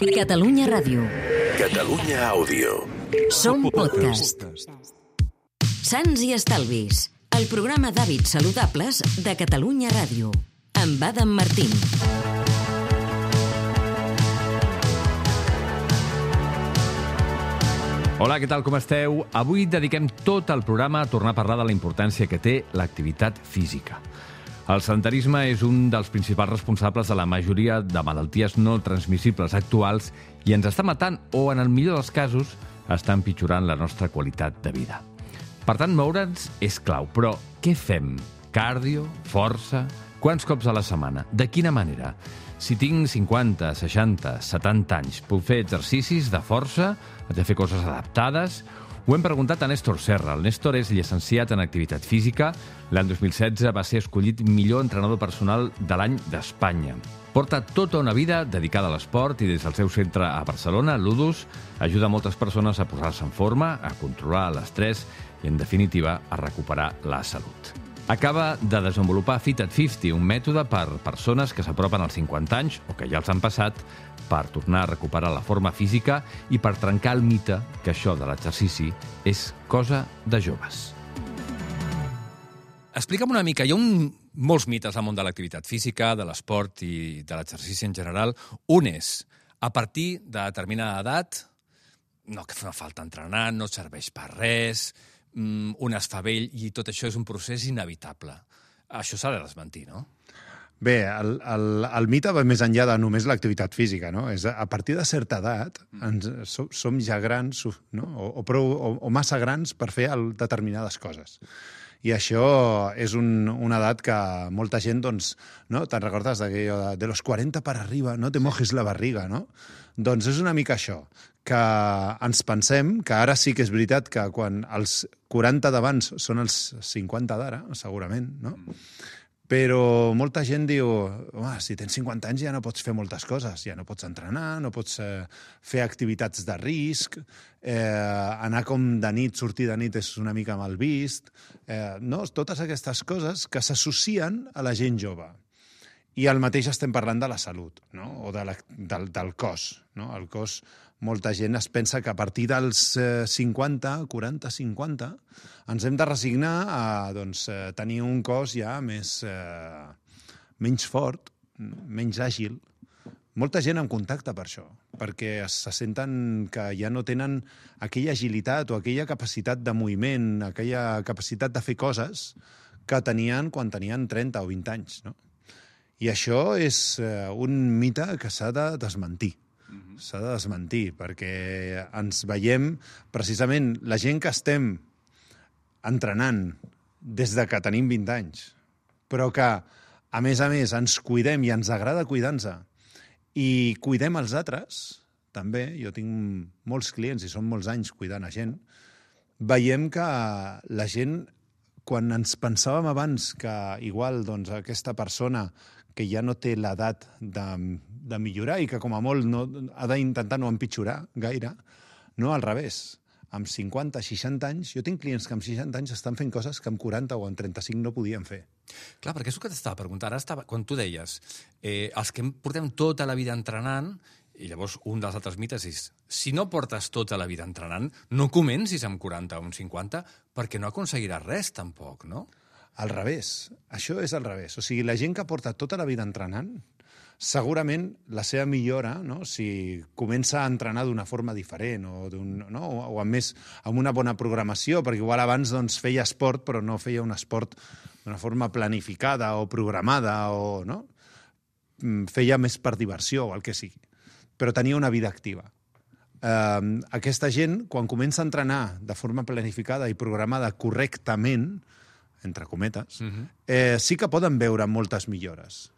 Catalunya Ràdio. Catalunya Àudio. Som podcast. Sants i Estalvis, el programa d'hàbits saludables de Catalunya Ràdio. Amb Adam Martín. Hola, què tal, com esteu? Avui dediquem tot el programa a tornar a parlar de la importància que té l'activitat física. El sedentarisme és un dels principals responsables de la majoria de malalties no transmissibles actuals i ens està matant o, en el millor dels casos, està empitjorant la nostra qualitat de vida. Per tant, moure'ns és clau. Però què fem? Cardio? Força? Quants cops a la setmana? De quina manera? Si tinc 50, 60, 70 anys, puc fer exercicis de força? Haig de fer coses adaptades? Ho hem preguntat a Néstor Serra. El Néstor és llicenciat en activitat física. L'any 2016 va ser escollit millor entrenador personal de l'any d'Espanya. Porta tota una vida dedicada a l'esport i des del seu centre a Barcelona, Ludus, ajuda moltes persones a posar-se en forma, a controlar l'estrès i, en definitiva, a recuperar la salut. Acaba de desenvolupar Fit at 50, un mètode per persones que s'apropen als 50 anys o que ja els han passat per tornar a recuperar la forma física i per trencar el mite que això de l'exercici és cosa de joves. Explica'm una mica, hi ha molts mites al món de l'activitat física, de l'esport i de l'exercici en general. Un és, a partir de determinada edat, no que fa falta entrenar, no serveix per res, un es fa vell i tot això és un procés inevitable. Això s'ha de desmentir, no? Bé, el mite va més enllà de només l'activitat física, no? És a partir de certa edat som ja grans, no? o massa grans per fer determinades coses. I això és una edat que molta gent, doncs, no? Te'n recordes de los 40 para arriba, no te mojes la barriga, no? Doncs és una mica això, que ens pensem que ara sí que és veritat que quan els 40 d'abans són els 50 d'ara, segurament, no? Però molta gent diu, si tens 50 anys ja no pots fer moltes coses, ja no pots entrenar, no pots fer activitats de risc, anar com de nit, sortir de nit és una mica mal vist, no? Totes aquestes coses que s'associen a la gent jove. I al mateix estem parlant de la salut, no? O del cos. No? El cos, molta gent es pensa que a partir dels 50, 40, 50, ens hem de resignar a tenir un cos ja menys fort, menys àgil. Molta gent en contacta per això, perquè se senten que ja no tenen aquella agilitat o aquella capacitat de moviment, aquella capacitat de fer coses que tenien quan tenien 30 o 20 anys, no? I això és un mite que s'ha de desmentir. S'ha de desmentir, perquè ens veiem, precisament, la gent que estem entrenant des de que tenim 20 anys, però que, a més, ens cuidem i ens agrada cuidar-nos i cuidem els altres, també, jo tinc molts clients i són molts anys cuidant a gent, veiem que la gent, quan ens pensàvem abans que igual aquesta persona que ja no té l'edat de millorar i que com a molt ha d'intentar no empitjorar gaire, no, al revés. Amb 50, 60 anys, jo tinc clients que amb 60 anys estan fent coses que amb 40 o amb 35 no podien fer. Clar, perquè és el que t'estava preguntant. Ara quan tu deies, els que portem tota la vida entrenant, i llavors un dels altres mites és, si no portes tota la vida entrenant, no comencis amb 40 o amb 50 perquè no aconseguiràs res tampoc, no? Al revés. Això és al revés. O sigui, la gent que porta tota la vida entrenant, segurament la seva millora, no? Si comença a entrenar d'una forma diferent o amb una bona programació, perquè igual abans feia esport però no feia un esport d'una forma planificada o programada, o no? Feia més per diversió o el que sigui, però tenia una vida activa. Aquesta gent, quan comença a entrenar de forma planificada i programada correctament, entre cometes, sí que poden veure moltes millores.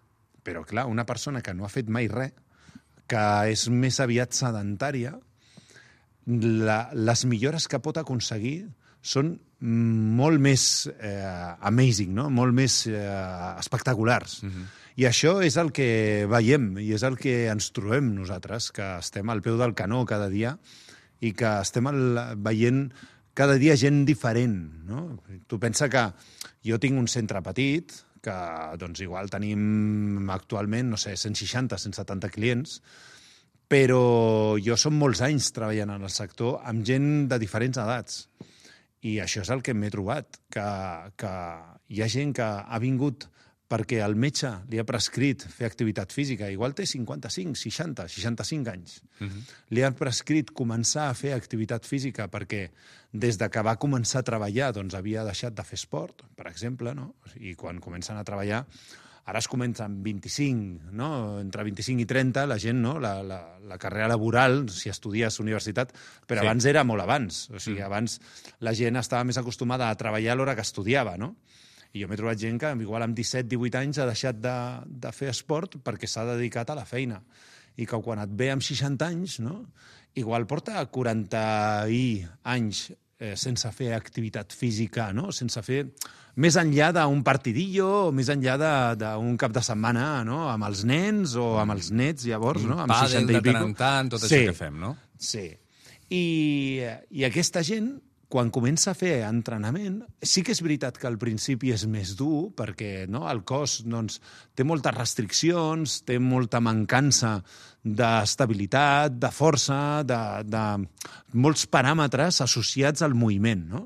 Però, clar, una persona que no ha fet mai res, que és més aviat sedentària, les millores que pot aconseguir són molt més amazing, no? Molt més espectaculars. I això és el que veiem i és el que ens trobem nosaltres, que estem al peu del canó cada dia i que estem veient cada dia gent diferent, no? Tu pensa que jo tinc un centre petit, que igual tenim actualment, 160, 170 clients, Però jo som molts anys treballant en el sector amb gent de diferents edats. I això és el que m'he trobat, que hi ha gent que ha vingut perquè el metge li ha prescrit fer activitat física. Igual té 55, 60, 65 anys. Li ha prescrit començar a fer activitat física perquè des de que va començar a treballar doncs havia deixat de fer esport, per exemple, no? I quan comencen a treballar, ara es comença amb 25, no? Entre 25 i 30, la gent, no? La carrera laboral, si estudies a universitat, però abans era molt abans. O sigui, abans la gent estava més acostumada a treballar a l'hora que estudiava, no? I jo m'he trobat gent que igual amb 17-18 anys ha deixat de fer esport perquè s'ha dedicat a la feina. I que quan et ve amb 60 anys, no? Igual porta 40 anys sense fer activitat física, no? Sense fer... Més enllà d'un partidillo, o més enllà d'un cap de setmana, no? Amb els nens o amb els nets, llavors, no? Amb pàdel de tant en tant, tot això que fem, no? Sí. I aquesta gent, quan comença a fer entrenament, sí que és veritat que al principi és més dur, perquè no, el cos doncs, té moltes restriccions, té molta mancança d'estabilitat, de força, de molts paràmetres associats al moviment, no?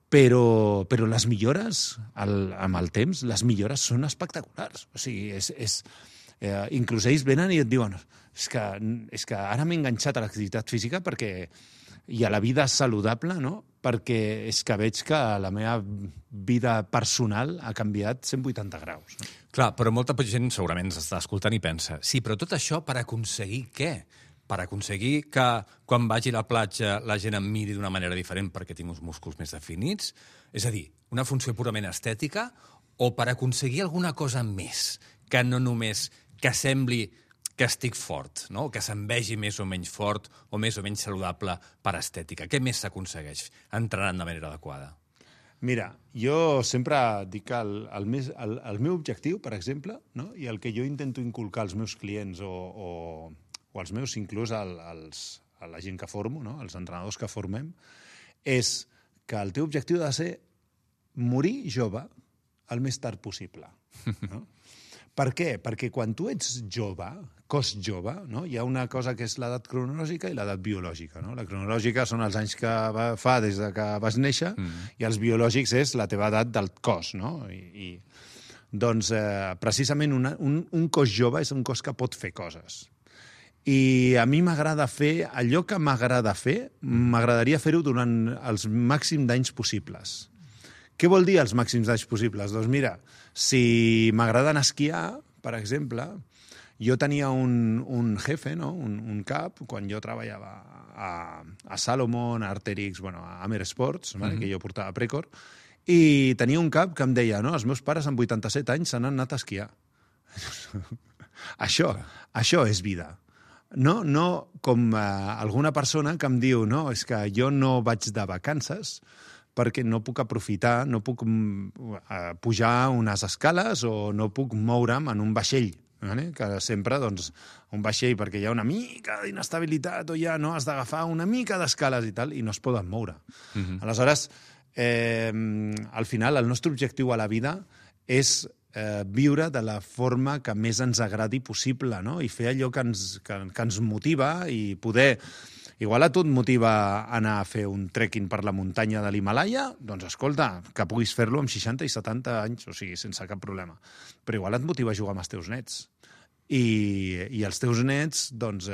Però les millores, amb el temps, les millores són espectaculars. O sigui, inclús ells venen i et diuen és que ara m'he enganxat a l'activitat física i a la vida saludable, no? Perquè és que veig que la meva vida personal ha canviat 180 graus. No? Clar, però molta gent segurament s'està escoltant i pensa sí, però tot això per aconseguir què? Per aconseguir que quan vagi a la platja la gent em miri d'una manera diferent perquè tinc uns músculs més definits? És a dir, una funció purament estètica o per aconseguir alguna cosa més que no només que sembli que estic fort, no? Que se'm vegi més o menys fort o més o menys saludable per estètica. Què més s'aconsegueix entrenant de manera adequada? Mira, jo sempre dic que el meu objectiu, per exemple, no? I el que jo intento inculcar als meus clients o als meus, inclús a la gent que formo, no? Els entrenadors que formem, és que el teu objectiu ha de ser morir jove el més tard possible. No? Per què? Perquè quan tu ets jove, cos jove, no? Hi ha una cosa que és l'edat cronològica i l'edat biològica. No? La cronològica són els anys que fa des de que vas néixer i els biològics és la teva edat del cos. No? Doncs precisament un cos jove és un cos que pot fer coses. I a mi m'agrada fer allò que m'agrada fer, m'agradaria fer-ho durant els màxims d'anys possibles. Què vol dir els màxims d'anys possibles? Doncs mira, si m'agrada anar a esquiar, per exemple, jo tenia un jefe, no? un cap, quan jo treballava a Salomon, a Arterix, a Amer Sports, que jo portava a Precor, i tenia un cap que em deia, no, els meus pares amb 87 anys s'han anat a esquiar. Això és vida. No com alguna persona que em diu no, és que jo no vaig de vacances perquè no puc aprofitar, no puc pujar unes escales o no puc moure'm en un vaixell. Que sempre, doncs, un vaixell perquè hi ha una mica d'inestabilitat o ja no has d'agafar una mica d'escales i tal, i no es poden moure. Aleshores, al final, el nostre objectiu a la vida és viure de la forma que més ens agradi possible, no? I fer allò que ens motiva i poder... Igual a tu et motiva anar a fer un trekking per la muntanya de l'Himalaya, doncs escolta, que puguis fer-lo amb 60 i 70 anys, o sigui, sense cap problema. Però igual et motiva a jugar amb els teus nets. I els teus nets doncs,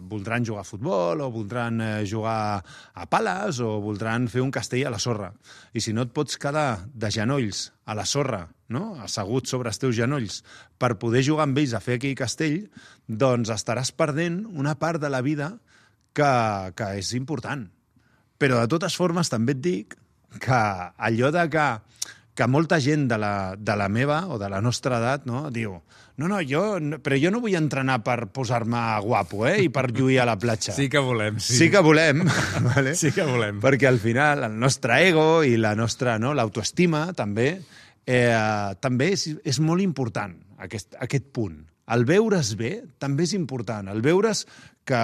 voldran jugar a futbol o voldran jugar a pales o voldran fer un castell a la sorra. I si no et pots quedar de genolls a la sorra, no? Assegut sobre els teus genolls, per poder jugar amb ells a fer aquell castell, doncs estaràs perdent una part de la vida que és important. Però de totes formes també et dic que allò de que molta gent de la meva o de la nostra edat no, diu però jo no vull entrenar per posar-me guapo i per lluir a la platja. Sí que volem, sí. Sí que volem, vale? Sí que volem. Perquè al final el nostre ego i la nostra l'autoestima també és molt important, aquest punt. El veure's bé també és important. El veure's que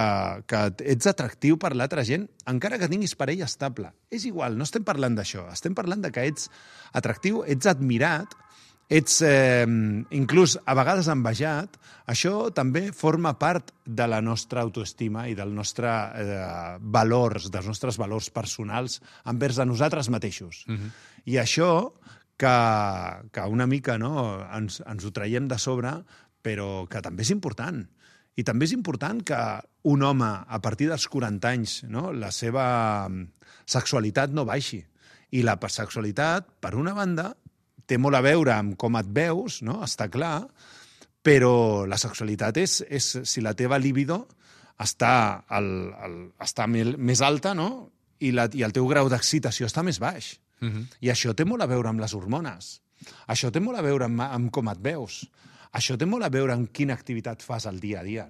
ets atractiu per l'altra gent, encara que tinguis parella estable. És igual, no estem parlant d'això. Estem parlant de que ets atractiu, ets admirat ets inclús a vegades envejat, això també forma part de la nostra autoestima i dels nostres valors personals envers a nosaltres mateixos. I això que una mica ens ho traiem de sobre, però que també és important. I també és important que un home, a partir dels 40 anys, la seva sexualitat no baixi. I la sexualitat, per una banda, té molt a veure amb com et veus, està clar, però la sexualitat és si la teva libido està més alta, i el teu grau d'excitació està més baix. I això té molt a veure amb les hormones. Això té molt a veure amb com et veus. Això té molt a veure amb quina activitat fas al dia a dia,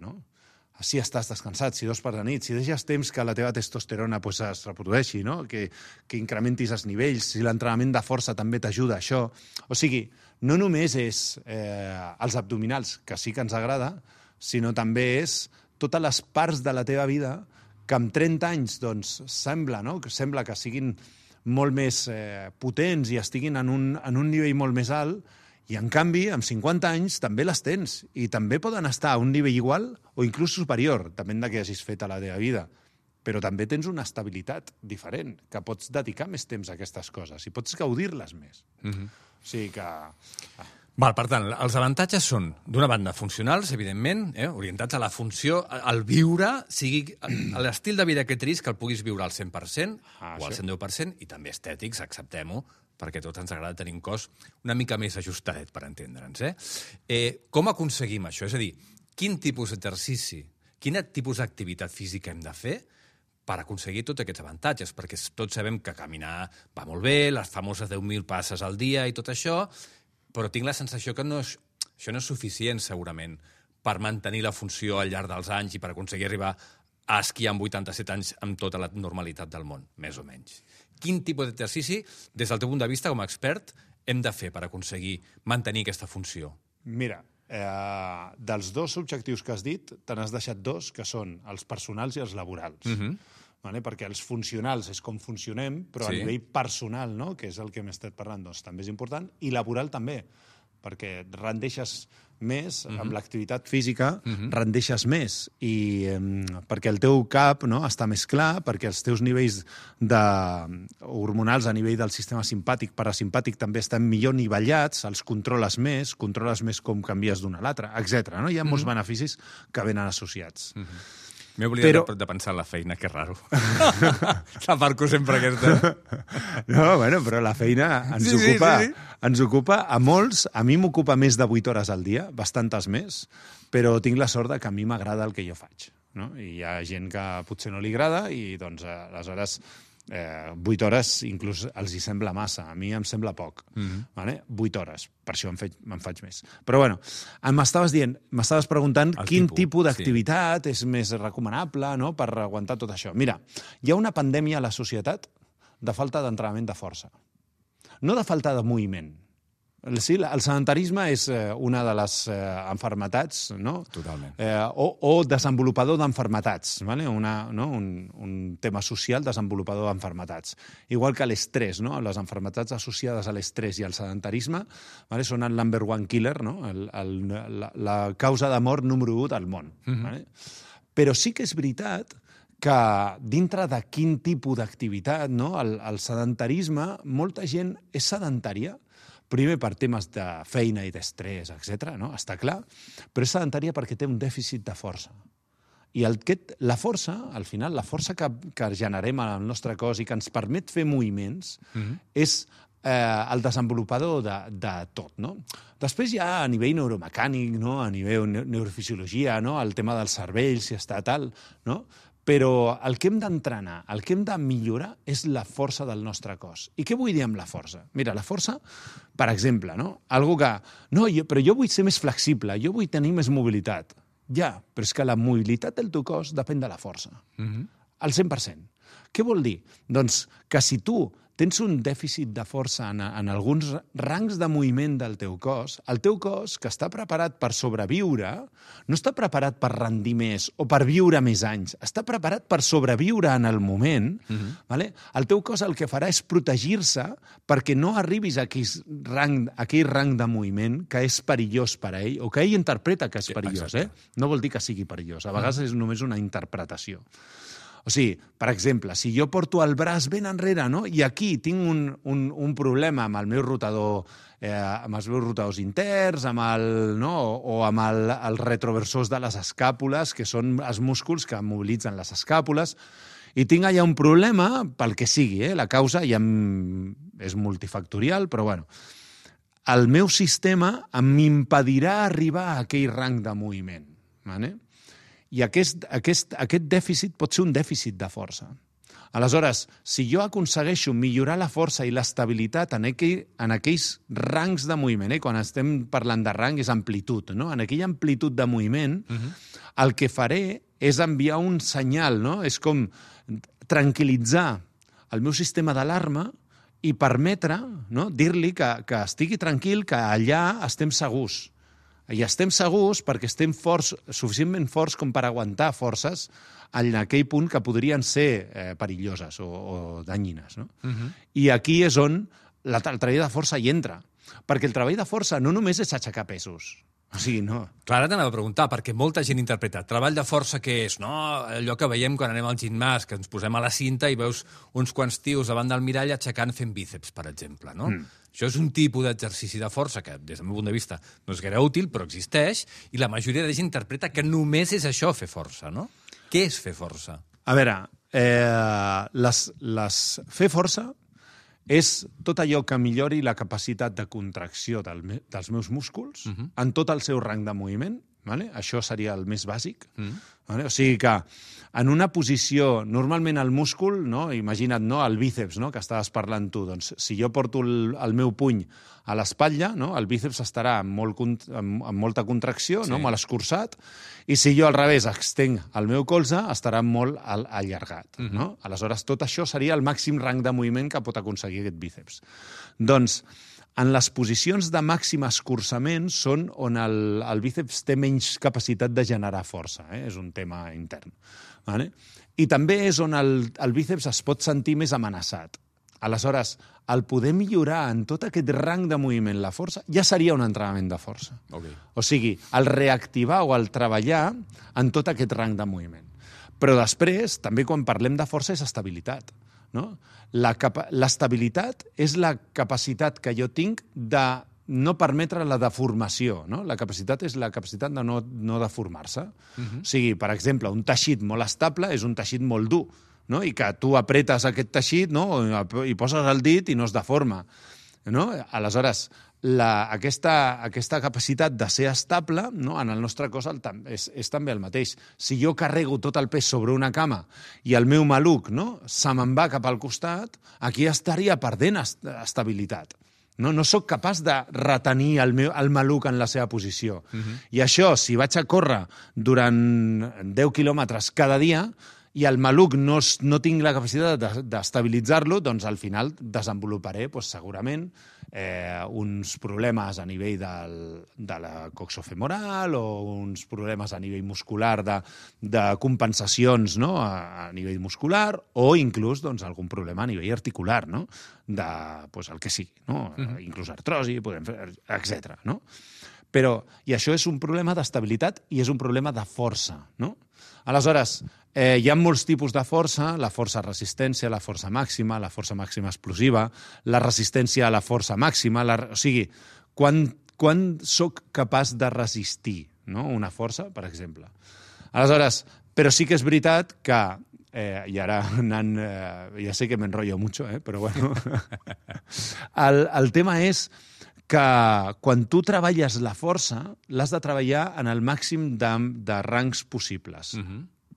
Si estàs descansat, si dors per la nit, si deixes temps que la teva testosterona es reprodueixi, que incrementis els nivells, si l'entrenament de força també t'ajuda a això. O sigui, no només és els abdominals, que sí que ens agrada, sinó també és totes les parts de la teva vida que amb 30 anys sembla que siguin molt més potents i estiguin en un nivell molt més alt, i, en canvi, amb 50 anys també les tens i també poden estar a un nivell igual o inclús superior, depèn de què hagis fet a la teva vida. Però també tens una estabilitat diferent, que pots dedicar més temps a aquestes coses i pots gaudir-les més. O sigui que... Per tant, els avantatges són, d'una banda, funcionals, evidentment, orientats a la funció, al viure, sigui l'estil de vida que tris, que el puguis viure al 100% o al 110%, i també estètics, acceptem-ho, perquè a tots ens agrada tenir un cos una mica més ajustadet, per entendre'ns. Com aconseguim això? És a dir, quin tipus d'exercici, quin tipus d'activitat física hem de fer per aconseguir tots aquests avantatges? Perquè tots sabem que caminar va molt bé, les famoses 10.000 passes al dia i tot això, però tinc la sensació que això no és suficient, segurament, per mantenir la funció al llarg dels anys i per aconseguir arribar a esquiar amb 87 anys amb tota la normalitat del món, més o menys. Quin tipus d'exercici, des del teu punt de vista com a expert, hem de fer per aconseguir mantenir aquesta funció? Mira, dels dos objectius que has dit, te n'has deixat dos, que són els personals i els laborals. Perquè els funcionals és com funcionem, però a nivell personal, que és el que hem estat parlant, també és important, i laboral també, perquè rendeixes més, amb l'activitat física rendeixes més, i perquè el teu cap està més clar, perquè els teus nivells hormonals a nivell del sistema simpàtic, parasimpàtic, també estan millor nivellats, els controles més com canvies d'una a l'altra, etc. Hi ha molts beneficis que venen associats. M'he oblidat de pensar en la feina, que raro. La parco sempre aquesta. Però la feina ens ocupa a molts. A mi m'ocupa més de 8 hores al dia, bastantes més, però tinc la sort que a mi m'agrada el que jo faig. I hi ha gent que potser no li agrada i, aleshores, 8 hores inclús els hi sembla massa. A mi em sembla poc. 8 hores. Per això me'n faig més. Però, m'estaves preguntant quin tipus d'activitat és més recomanable per aguantar tot això. Mira, hi ha una pandèmia a la societat de falta d'entrenament de força. No de falta de moviment. Sí, el sedentarisme és una de les enfermetats, Totalment. O desenvolupador d'enfermetats, un tema social desenvolupador d'enfermetats. Igual que l'estrès, les enfermetats associades a l'estrès i al sedentarisme són el number one killer, la causa de mort número 1 del món. Però sí que és veritat que dintre de quin tipus d'activitat, el sedentarisme, molta gent és sedentària, primer per temes de feina i d'estrès, etc., està clar, però és sedentària perquè té un dèficit de força. I la força, al final, la força que generem al nostre cos i que ens permet fer moviments és el desenvolupador de tot. Després hi ha a nivell neuromecànic, a nivell neurofisiologia, el tema del cervell, si està tal, però el que hem d'entrenar, el que hem de millorar és la força del nostre cos. I què vull dir amb la força? Mira, la força, per exemple, algo que... però jo vull ser més flexible, jo vull tenir més mobilitat. Ja, però és que la mobilitat del teu cos depèn de la força. Al 100%. Què vol dir? Doncs que si tu tens un dèficit de força en alguns rangs de moviment del teu cos, el teu cos, que està preparat per sobreviure, no està preparat per rendir més o per viure més anys, està preparat per sobreviure en el moment. Vale? El teu cos el que farà és protegir-se perquè no arribis a aquell rang de moviment que és perillós per a ell, o que ell interpreta que és perillós. No vol dir que sigui perillós, a vegades és només una interpretació. O sigui, per exemple, si jo porto el braç ben enrere, no? I aquí tinc un problema amb el meu rotador, amb els meus rotadors interns, o amb els retroversors de les escàpules, que són els músculs que mobilitzen les escàpules, i tinc allà un problema pel que sigui, la causa ja és multifactorial, però bueno, el meu sistema m'impedirà arribar a aquell rang de moviment, ¿vale? I aquest dèficit pot ser un dèficit de força. Aleshores, si jo aconsegueixo millorar la força i l'estabilitat en aquells rangs de moviment, quan estem parlant de rang és amplitud, no? En aquella amplitud de moviment, el que faré és enviar un senyal, no? És com tranquil·litzar el meu sistema d'alarma i permetre, no? Dir-li que estigui tranquil, que allà estem segurs. I estem segurs perquè estem suficientment forts com per aguantar forces en aquell punt que podrien ser perilloses o danyines. No? I aquí és on el treball de força hi entra. Perquè el treball de força no només és aixecar pesos. O sigui, no. Clar, ara t'anava a preguntar, perquè molta gent interpreta treball de força què és, no? Allò que veiem quan anem al gimnàs, que ens posem a la cinta i veus uns quants tios davant del mirall aixecant fent bíceps, per exemple, no? Això és un tipus d'exercici de força que, des del meu punt de vista, no és gaire útil, però existeix, i la majoria de gent interpreta que només és això, fer força, no? Què és fer força? A veure, fer força és tot allò que millori la capacitat de contracció dels meus músculs en tot el seu rang de moviment. Vale? Això seria el més bàsic. Vale? O sigui que en una posició, normalment el múscul, no? Imagina't, no? El bíceps, no? Que estaves parlant tu, doncs si jo porto el meu puny a l'espatlla, no? El bíceps estarà amb molta contracció, no? Molt escurçat, i si jo al revés extenc el meu colze, estarà molt allargat. No? Aleshores, tot això seria el màxim rang de moviment que pot aconseguir aquest bíceps. Doncs, en les posicions de màxim escurçament són on el bíceps té menys capacitat de generar força. És un tema intern. Vale? I també és on el bíceps es pot sentir més amenaçat. Aleshores, el poder millorar en tot aquest rang de moviment la força ja seria un entrenament de força. Okay. O sigui, el reactivar o el treballar en tot aquest rang de moviment. Però després, també quan parlem de força, és estabilitat. No? L'estabilitat és la capacitat que jo tinc de no permetre la deformació. No? La capacitat és la capacitat de no deformar-se. O sigui, per exemple, un teixit molt estable és un teixit molt dur, no? I que tu apretes aquest teixit, no? I poses el dit i no es deforma. No? Aleshores, aquesta capacitat de ser estable, no? En el nostre cos és també el mateix. Si jo carrego tot el pes sobre una cama i el meu maluc, no? Se me'n va cap al costat, aquí estaria perdent estabilitat. No soc capaç de retenir el maluc en la seva posició. I això, si vaig a córrer durant 10 quilòmetres cada dia i el maluc no tinc la capacitat d'estabilitzar-lo, doncs al final desenvoluparé segurament uns problemes a nivell de la coxofemoral o uns problemes a nivell muscular de compensacions, no? A nivell muscular o inclús algun problema a nivell articular, no? El que sigui, no? Inclús artrosi, etc. No? I això és un problema d'estabilitat i és un problema de força, no? Aleshores, hi ha molts tipus de força, la força resistència, la força màxima explosiva, la resistència a la força màxima, o sigui, quan soc capaç de resistir, no? Una força, per exemple. Aleshores, però sí que és veritat que, i ara ja sé que m'enrotllo mucho, però bueno, el tema és que quan tu treballes la força, l'has de treballar en el màxim de rangs possibles.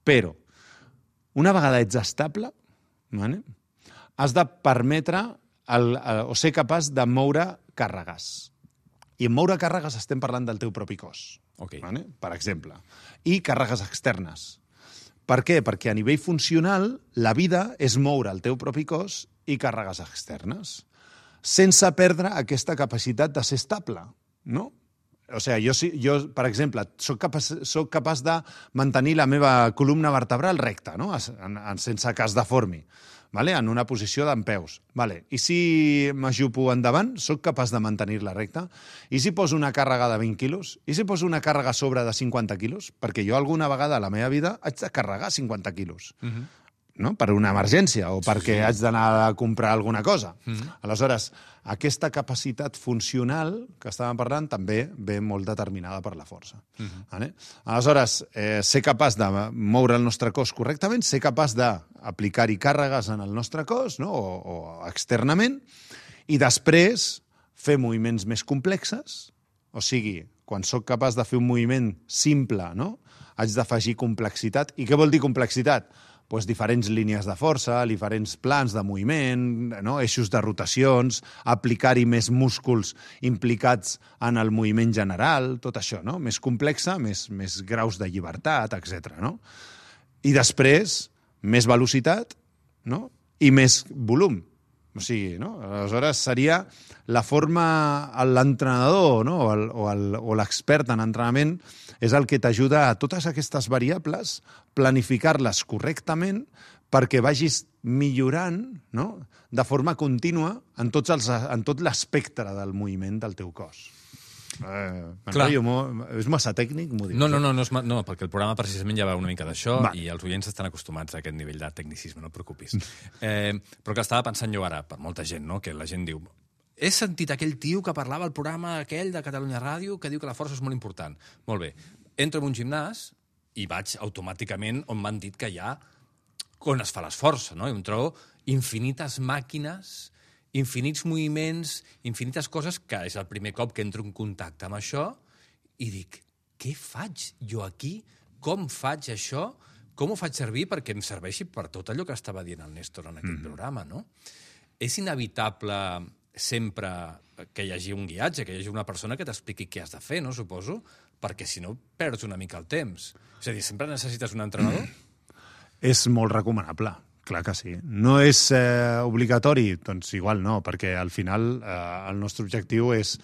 Però, una vegada ets estable, has de permetre o ser capaç de moure càrregues. I en moure càrregues estem parlant del teu propi cos, per exemple, i càrregues externes. Per què? Perquè a nivell funcional la vida és moure el teu propi cos i càrregues externes, sense perdre aquesta capacitat de ser estable, no? O sigui, jo per exemple, soc capaç de mantenir la meva columna vertebral recta, no? Sense que es deformi, vale? En una posició dempeus. Vale. I si m'ajupo endavant, soc capaç de mantenir-la recta? I si poso una càrrega de 20 quilos? I si poso una càrrega a sobre de 50 quilos? Perquè jo alguna vegada a la meva vida haig de carregar 50 quilos. No? Per una emergència o perquè haig d'anar a comprar alguna cosa. Aleshores, aquesta capacitat funcional que estàvem parlant també ve molt determinada per la força. Vale? Aleshores, ser capaç de moure el nostre cos correctament, ser capaç d'aplicar-hi càrregues en el nostre cos, no? o externament, i després fer moviments més complexes, o sigui, quan sóc capaç de fer un moviment simple, no? Haig d'afegir complexitat. I què vol dir complexitat? Pues diferents línies de força, diferents plans de moviment, no? Eixos de rotacions, aplicar-hi més músculs implicats en el moviment general, tot això, no? Més complexa, més graus de llibertat, etc. No? I després, més velocitat, no? I més volum. O sigui, no? Aleshores seria la forma, l'entrenador, no? o l'expert en entrenament és el que t'ajuda a totes aquestes variables, planificar-les correctament perquè vagis millorant, no? De forma contínua en tot l'espectre del moviment del teu cos. És massa tècnic, m'ho dius? No, perquè el programa precisament ja va una mica d'això i els oients estan acostumats a aquest nivell de tecnicisme, no et preocupis. Però que estava pensant jo ara, per molta gent, no? Que la gent diu: he sentit aquell tio que parlava al programa aquell de Catalunya Ràdio que diu que la força és molt important. Molt bé, entro en un gimnàs i vaig automàticament on m'han dit que hi ha on es fa l'esforç, no? I em trobo infinites màquines, infinits moviments, infinites coses, que és el primer cop que entro en contacte amb això i dic: què faig jo aquí? Com faig això? Com ho faig servir perquè em serveixi per tot allò que estava dient el Néstor en aquest programa, no? És inevitable sempre que hi hagi un guiatge, que hi hagi una persona que t'expliqui què has de fer, no? Suposo, perquè si no perds una mica el temps. És a dir, sempre necessites un entrenador? És molt recomanable. Clar que sí. No és obligatori? Doncs igual no, perquè al final el nostre objectiu és,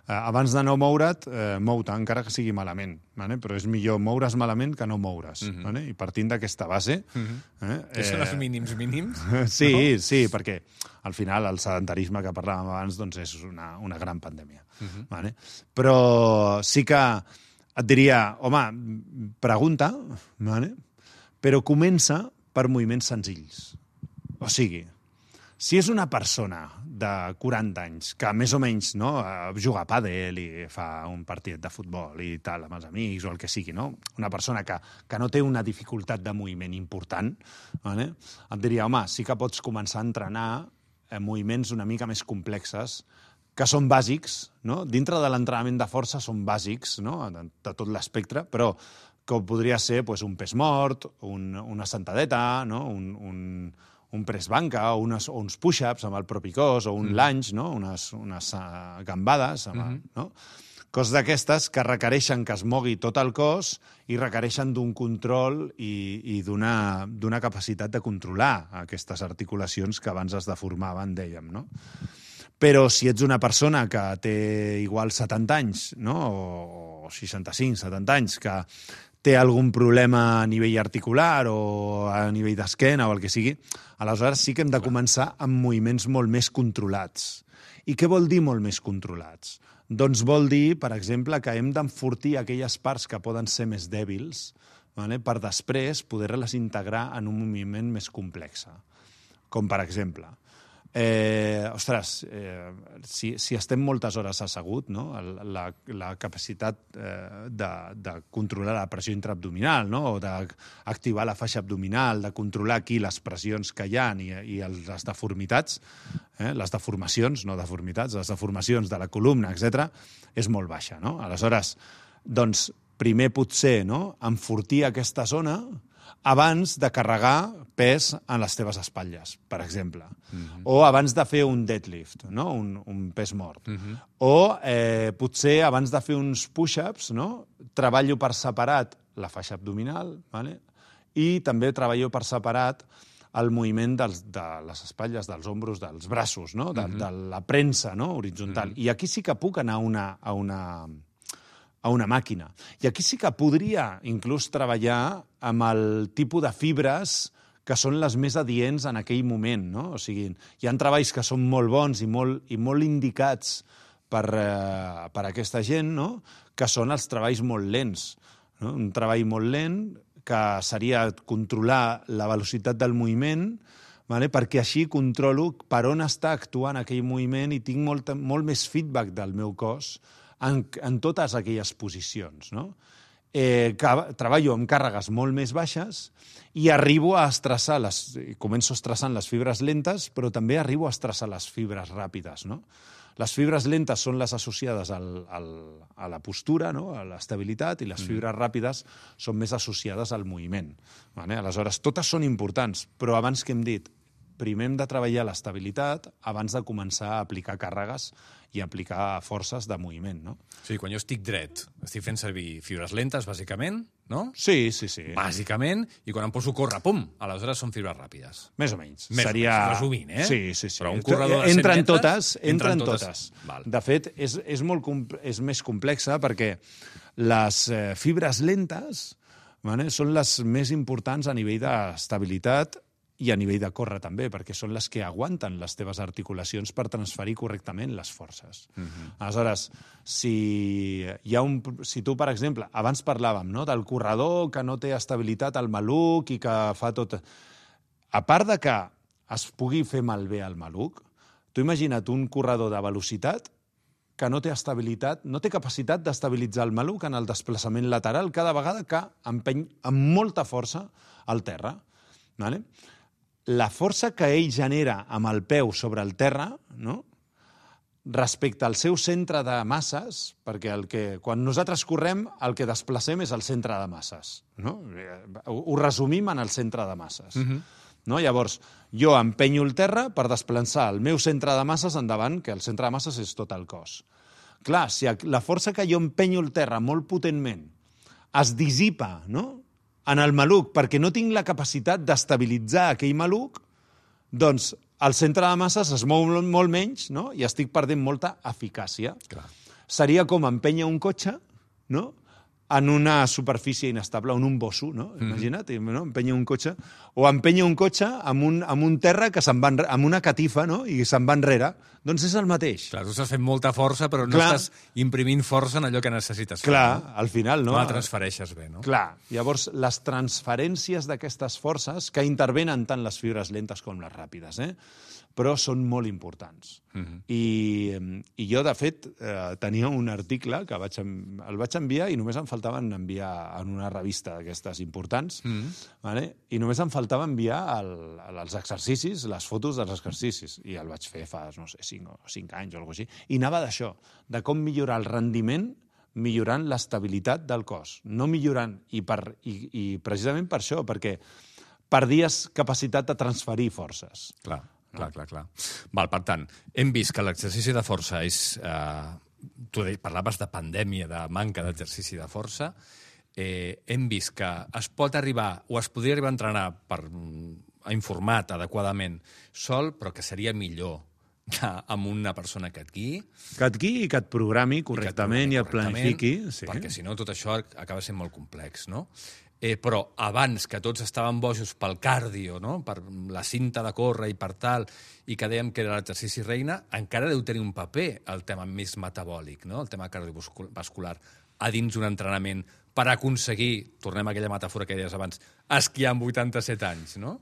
abans de no moure't, mou-te, encara que sigui malament. Vale? Però és millor moure's malament que no moure's. Vale? I partint d'aquesta base... Que són els mínims? Sí, no? Sí, perquè al final el sedentarisme que parlàvem abans doncs és una gran pandèmia. Vale? Però sí que et diria, home, pregunta, vale? Però comença per moviments senzills. O sigui, si és una persona de 40 anys que més o menys no, juga a pàdel i fa un partit de futbol i tal amb els amics o el que sigui, no? Una persona que no té una dificultat de moviment important, vale? Et diria, home, sí que pots començar a entrenar moviments una mica més complexes que són bàsics, no? Dintre de l'entrenament de força són bàsics, no? De tot l'espectre, però que podria ser pues, un pes mort, una sentadeta, no? un press banca, o uns push-ups amb el propi cos, o un lunge, no? unes gambades, no? Coses d'aquestes que requereixen que es mogui tot el cos i requereixen d'un control i d'una capacitat de controlar aquestes articulacions que abans es deformaven, dèiem, no? Però si ets una persona que té igual 70 anys, no? O 65, 70 anys, que té algun problema a nivell articular o a nivell d'esquena o el que sigui, aleshores sí que hem de començar amb moviments molt més controlats. I què vol dir molt més controlats? Doncs vol dir, per exemple, que hem d'enfortir aquelles parts que poden ser més dèbils, vale? Per després poder-les integrar en un moviment més complex. Com, per exemple, si estem moltes hores assegut, no? La capacitat de controlar la pressió intraabdominal, no? O d'activar la faixa abdominal, de controlar aquí les pressions que hi ha i les deformitats, les deformacions, no deformitats, les deformacions de la columna, etc., és molt baixa, no? Aleshores, doncs, primer potser, no? Enfortir aquesta zona abans de carregar pes en les teves espatlles, per exemple. O abans de fer un deadlift, no? Un pes mort. O potser abans de fer uns push-ups, no? Treballo per separat la faixa abdominal, vale? i també treballo per separat el moviment de les espatlles, dels ombros, dels braços, no? De la premsa, no? Horitzontal. I aquí sí que puc anar a una màquina. I aquí sí que podria inclús treballar amb el tipus de fibres que són les més adients en aquell moment, no? O sigui, hi ha treballs que són molt bons i molt indicats per aquesta gent, no? Que són els treballs molt lents. No? Un treball molt lent que seria controlar la velocitat del moviment, vale? Perquè així controlo per on està actuant aquell moviment i tinc molt més feedback del meu cos en totes aquelles posicions. No? Treballo amb càrregues molt més baixes i arribo a estressar, començo estressant les fibres lentes, però també arribo a estressar les fibres ràpides. No? Les fibres lentes són les associades a la postura, no? A l'estabilitat, i les fibres ràpides són més associades al moviment. Vale? Aleshores, totes són importants, però abans que hem dit, primer hem de treballar l'estabilitat abans de començar a aplicar càrregues i aplicar forces de moviment, no? Sí, quan jo estic dret, estic fent servir fibres lentes, bàsicament, no? Sí. Bàsicament, i quan em poso a córrer, pum, aleshores són fibres ràpides. Més o menys. Seria... resumint, eh? Sí. Però un corredor de 100 metres... Entren totes. Val. De fet, és més complexa perquè les fibres lentes, vale, són les més importants a nivell d'estabilitat i a nivell de córrer també, perquè són les que aguanten les teves articulacions per transferir correctament les forces. Aleshores, si tu, per exemple, abans parlàvem, no?, del corredor que no té estabilitat al maluc i que fa tot... A part de que es pugui fer malbé al maluc, tu imagina't un corredor de velocitat que no té estabilitat, no té capacitat d'estabilitzar el maluc en el desplaçament lateral cada vegada que empeny amb molta força al terra. Vale? La força que ell genera amb el peu sobre el terra, no?, respecte al seu centre de masses, perquè quan nosaltres correm, el que desplacem és el centre de masses. No? Ho resumim en el centre de masses. No? Llavors, jo empenyo el terra per desplaçar el meu centre de masses endavant, que el centre de masses és tot el cos. Clar, si la força que jo empenyo el terra molt potentment es dissipa, no?, en el maluc, perquè no tinc la capacitat d'estabilitzar aquell maluc, doncs el centre de masses es mou molt menys, no?, i estic perdent molta eficàcia. Clar. Seria com empènyer un cotxe, no?, en una superfície inestable, en un bosso, no? Imagina't, no? Empènyer un cotxe, o empènyer un cotxe amb un terra que se'n va amb una catifa, no?, i se'n va enrere. Doncs és el mateix. Clar, tu estàs fent molta força, però no estàs imprimint força en allò que necessites fer. Clar, al final, no? No la transfereixes bé, no? Clar. Llavors, les transferències d'aquestes forces, que intervenen tant les fibres lentes com les ràpides, però són molt importants. I jo, de fet, tenia un article que el vaig enviar i només em faltaven enviar en una revista d'aquestes importants, vale? I només em faltava enviar els exercicis, les fotos dels exercicis, i el vaig fer fa, no sé, 5 anys o alguna cosa així, i anava d'això, de com millorar el rendiment millorant l'estabilitat del cos, no millorant, i precisament per això, perquè perdies capacitat de transferir forces. Clar. Val, per tant, hem vist que l'exercici de força és... Tu parlaves de pandèmia, de manca d'exercici de força. Hem vist que es pot arribar, o es podria arribar a entrenar informat adequadament sol, però que seria millor amb una persona que et guiï. Que et guiï i que et programi correctament i et planifiqui. Perquè si no tot això acaba sent molt complex, no? Però abans que tots estaven bojos pel cardio, no?, per la cinta de córrer i per tal, i que dèiem que era l'exercici reina, encara deu tenir un paper el tema més metabòlic, no?, el tema cardiovascular, a dins d'un entrenament per aconseguir, tornem a aquella metàfora que deies abans, esquiar amb 87 anys, no?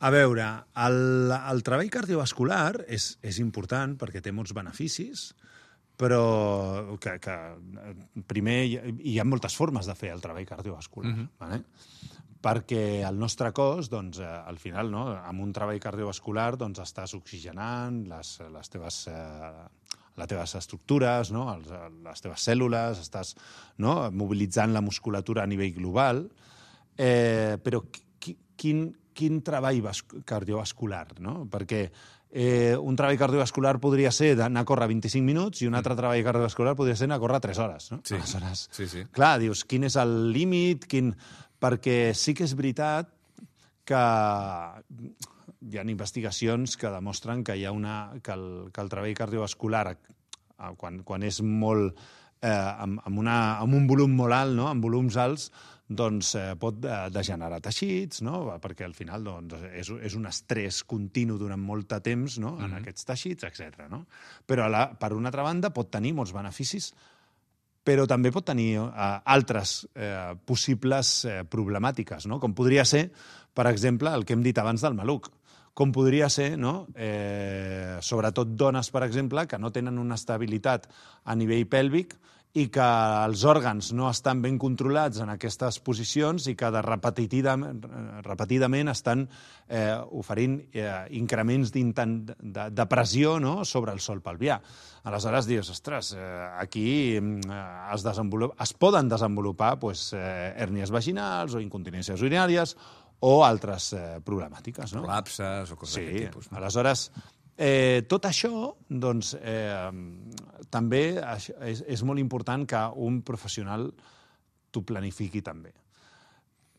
A veure, el treball cardiovascular és important perquè té molts beneficis, però que primer hi ha moltes formes de fer el treball cardiovascular. Vale? Perquè el nostre cos, doncs, al final, no, amb un treball cardiovascular doncs, estàs oxigenant les teves estructures, no, les teves cèl·lules, estàs, no, mobilitzant la musculatura a nivell global, però quin treball cardiovascular, no? Perquè un treball cardiovascular podria ser anar a córrer 25 minuts i un altre treball cardiovascular podria ser anar a córrer 3 hores. No? Sí. Aleshores, sí. Clar, dius, quin és el límit? perquè sí que és veritat que hi ha investigacions que demostren que hi ha que el treball cardiovascular, quan és molt amb un volum molt alt, no? Amb volums alts, doncs pot degenerar teixits, no? Perquè al final és un estrès continu durant molt de temps, no? En aquests teixits, etc. No? Però per una altra banda pot tenir molts beneficis, però també pot tenir altres possibles problemàtiques, no? Com podria ser, per exemple, el que hem dit abans del maluc. Com podria ser, no? Sobretot dones, per exemple, que no tenen una estabilitat a nivell pèlvic i que els òrgans no estan ben controlats en aquestes posicions i que repetidament estan oferint increments de pressió, no? Sobre el sòl pelvià. Aleshores dius, ostres, aquí es poden desenvolupar hèrnies vaginals o incontinències urinàries o altres problemàtiques. Col·lapses o coses d'aquest tipus. Aleshores, tot això, doncs, també és molt important que un professional t'ho planifiqui també.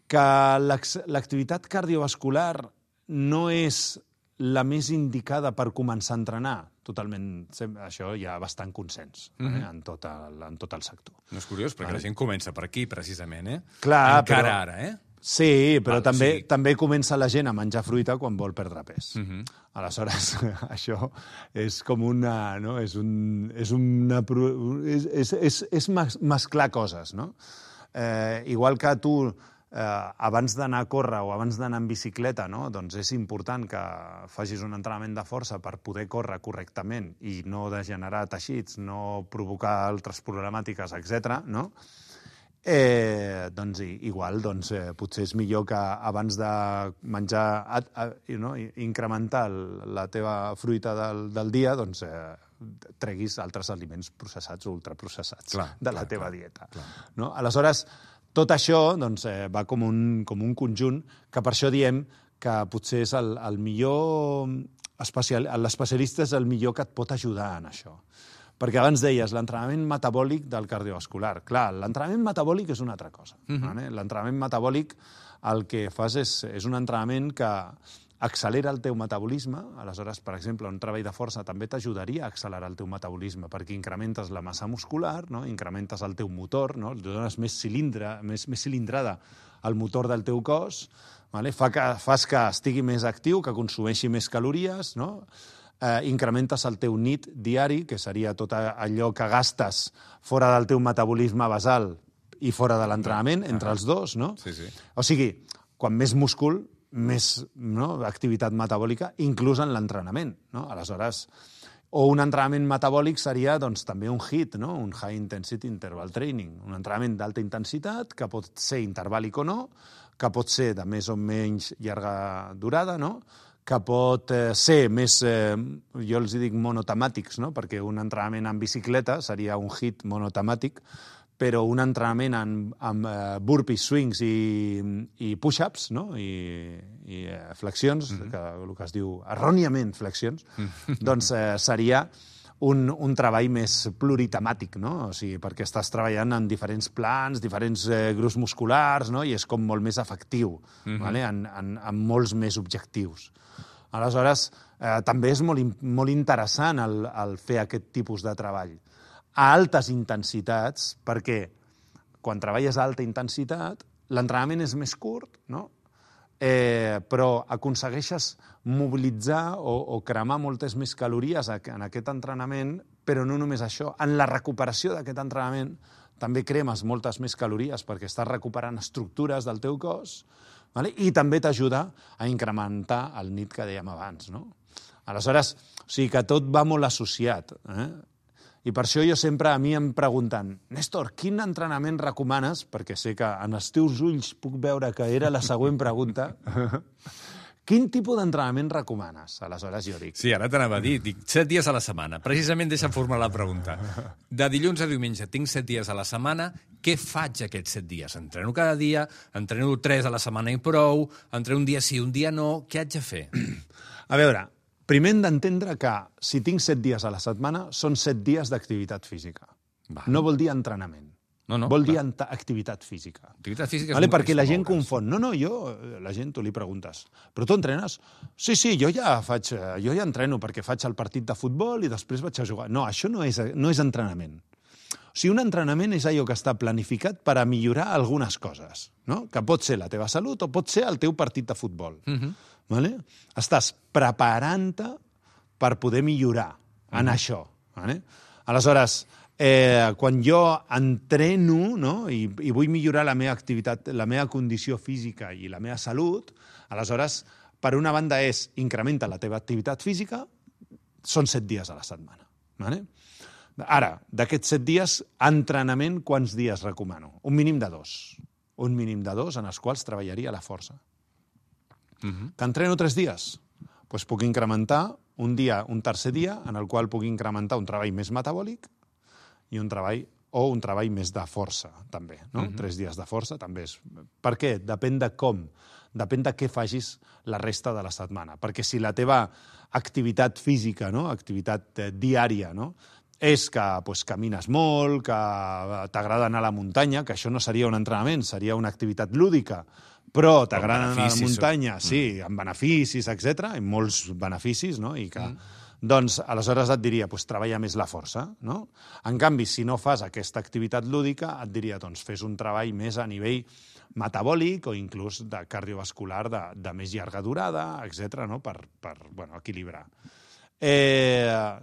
Que l'activitat cardiovascular no és la més indicada per començar a entrenar, totalment, això hi ha bastant consens en tot el sector. No és curiós, perquè la gent comença per aquí, precisament, Clar, encara ara, Sí, però també comença la gent a menjar fruita quan vol perdre pes. Aleshores, això és com una... No? És mesclar coses, no? Igual que tu, abans d'anar a córrer o abans d'anar en bicicleta, no? Doncs és important que facis un entrenament de força per poder córrer correctament i no degenerar teixits, no provocar altres problemàtiques, etc. No? Doncs igual, potser és millor que abans de menjar, incrementar la teva fruita del dia, doncs treguis altres aliments processats o ultraprocessats de la teva dieta. No? Aleshores, tot això va com un conjunt que per això diem que potser és el millor l'especialista és el millor que et pot ajudar en això. Perquè abans deies l'entrenament metabòlic del cardiovascular. Clar, l'entrenament metabòlic és una altra cosa. L'entrenament metabòlic el que fas és un entrenament que accelera el teu metabolisme. Aleshores, per exemple, un treball de força també t'ajudaria a accelerar el teu metabolisme perquè incrementes la massa muscular, no? Incrementes el teu motor, no? Dones més cilindrada al motor del teu cos, vale? Fas que estigui més actiu, que consumeixi més calories, no? Incrementes el teu NEAT diari, que seria tot allò que gastes fora del teu metabolisme basal i fora de l'entrenament, entre els dos, no? O sigui, quan més múscul, més activitat metabòlica, inclús en l'entrenament, no? Aleshores, o un entrenament metabòlic seria també un HIIT, no? Un High Intensity Interval Training, un entrenament d'alta intensitat, que pot ser intervàlic o no, que pot ser de més o menys llarga durada, no? Que pot ser més, jo els dic monotemàtics, no? Perquè un entrenament en bicicleta seria un HIIT monotemàtic, però un entrenament amb burpees, swings i push-ups, no? I flexions, el que es diu erròniament flexions, doncs seria un treball més pluritemàtic, no? O sigui, perquè estàs treballant en diferents plans, diferents grups musculars, no? I és com molt més efectiu, vale? En molts més objectius. Aleshores, també és molt interessant el fer aquest tipus de treball a altes intensitats, perquè quan treballes a alta intensitat, l'entrenament és més curt, no? Però aconsegueixes mobilitzar o cremar moltes més calories en aquest entrenament, però no només això. En la recuperació d'aquest entrenament també cremes moltes més calories perquè estàs recuperant estructures del teu cos, i també t'ajuda a incrementar el NEAT que dèiem abans. Aleshores, o sigui que tot va molt associat. I per això jo sempre a mi em pregunten, Néstor, quin entrenament recomanes? Perquè sé que en els teus ulls puc veure que era la següent pregunta. Quin tipus d'entrenament recomanes? Aleshores jo dic... Sí, ara t'anava a dir, 7 dies a la setmana. Precisament deixa'm formular la pregunta. De dilluns a diumenge tinc 7 dies a la setmana, què faig aquests 7 dies? Entreno cada dia, entreno 3 a la setmana i prou, entreno un dia sí, un dia no, què haig de fer? A veure, primer hem d'entendre que si tinc 7 dies a la setmana són 7 dies d'activitat física. No vol dir entrenament. No, vol dir clar. activitat física. Activitat física Vale? és Perquè la gent moure's. confon. La gent tu li preguntes, però tu entrenes? Sí, jo ja entreno perquè faig el partit de futbol i després vaig a jugar. No, això no és entrenament. O sigui, un entrenament és allò que està planificat per a millorar algunes coses, no? Que pot ser la teva salut o pot ser el teu partit de futbol. Vale? Estàs preparant-te per poder millorar en això. Vale? Aleshores, quan jo entreno, no? I vull millorar la meva activitat, la meva condició física i la meva salut, aleshores, per una banda incrementa la teva activitat física, són 7 dies a la setmana. Vale? Ara, d'aquests 7 dies, entrenament, quants dies recomano? Un mínim de 2. Un mínim de 2 en els quals treballaria la força. Que entreno 3 dies? Doncs puc incrementar un tercer dia en el qual puc incrementar un treball més metabòlic i un treball més de força, també. No? 3 dies de força també és... Per què? Depèn de com. Depèn de què facis la resta de la setmana. Perquè si la teva activitat física, no? Activitat diària, no? És que camines molt, que t'agrada anar a la muntanya, que això no seria un entrenament, seria una activitat lúdica, però t'agrada anar a la muntanya, sí, amb beneficis, etc., amb molts beneficis, no? I que... Doncs, aleshores et diria, treballa més la força, no? En canvi, si no fas aquesta activitat lúdica, et diria, doncs, fes un treball més a nivell metabòlic o inclús de cardiovascular de més llarga durada, etc., no? Per equilibrar.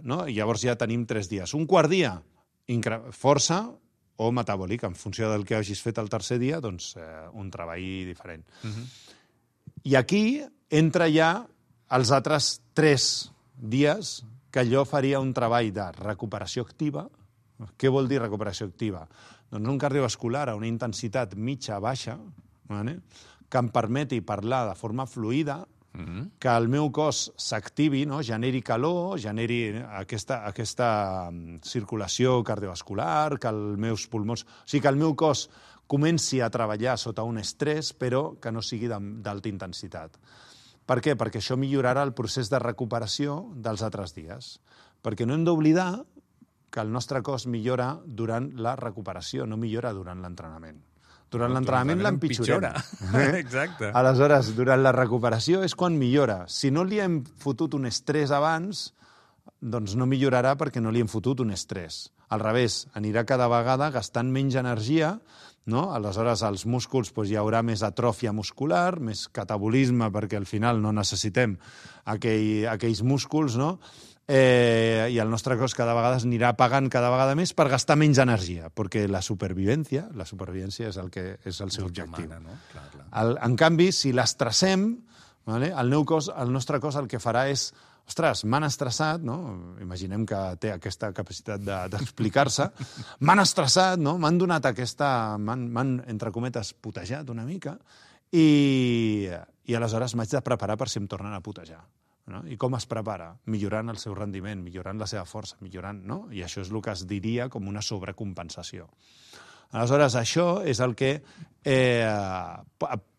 No? I llavors ja tenim 3 dies. Un quart dia, força o metabòlic, en funció del que hagis fet el tercer dia, doncs un treball diferent. I aquí entra ja els altres 3 dies que jo faria un treball de recuperació activa. Què vol dir recuperació activa? Doncs un cardiovascular a una intensitat mitja-baixa, vale? Que em permeti parlar de forma fluida, que el meu cos s'activi, no? Generi calor, generi aquesta circulació cardiovascular, que els meus pulmons... O sigui, que el meu cos comenci a treballar sota un estrès, però que no sigui d'alta intensitat. Per què? Perquè això millorarà el procés de recuperació dels altres dies. Perquè no hem d'oblidar que el nostre cos millora durant la recuperació, no millora durant l'entrenament. Durant l'entrenament l'empitjorem. Exacte. Aleshores, durant la recuperació és quan millora. Si no li hem fotut un estrès abans, doncs no millorarà perquè no li hem fotut un estrès. Al revés, anirà cada vegada gastant menys energia, no? Aleshores, als músculs hi haurà més atròfia muscular, més catabolisme, perquè al final no necessitem aquells músculs, no? I el nostre cos cada vegada anirà pagant cada vegada més per gastar menys energia, perquè la supervivència és el seu objectiu. No? Clar. En canvi, si l'estressem, vale? El nostre cos el que farà és ostres, m'han estressat, no? Imaginem que té aquesta capacitat d'explicar-se. M'han estressat, no? M'han donat m'han, entre cometes, putejat una mica i aleshores m'haig de preparar per si em tornen a putejar. No? I com es prepara? Millorant el seu rendiment, millorant la seva força, no? I això és el que es diria com una sobrecompensació. Aleshores, això és el que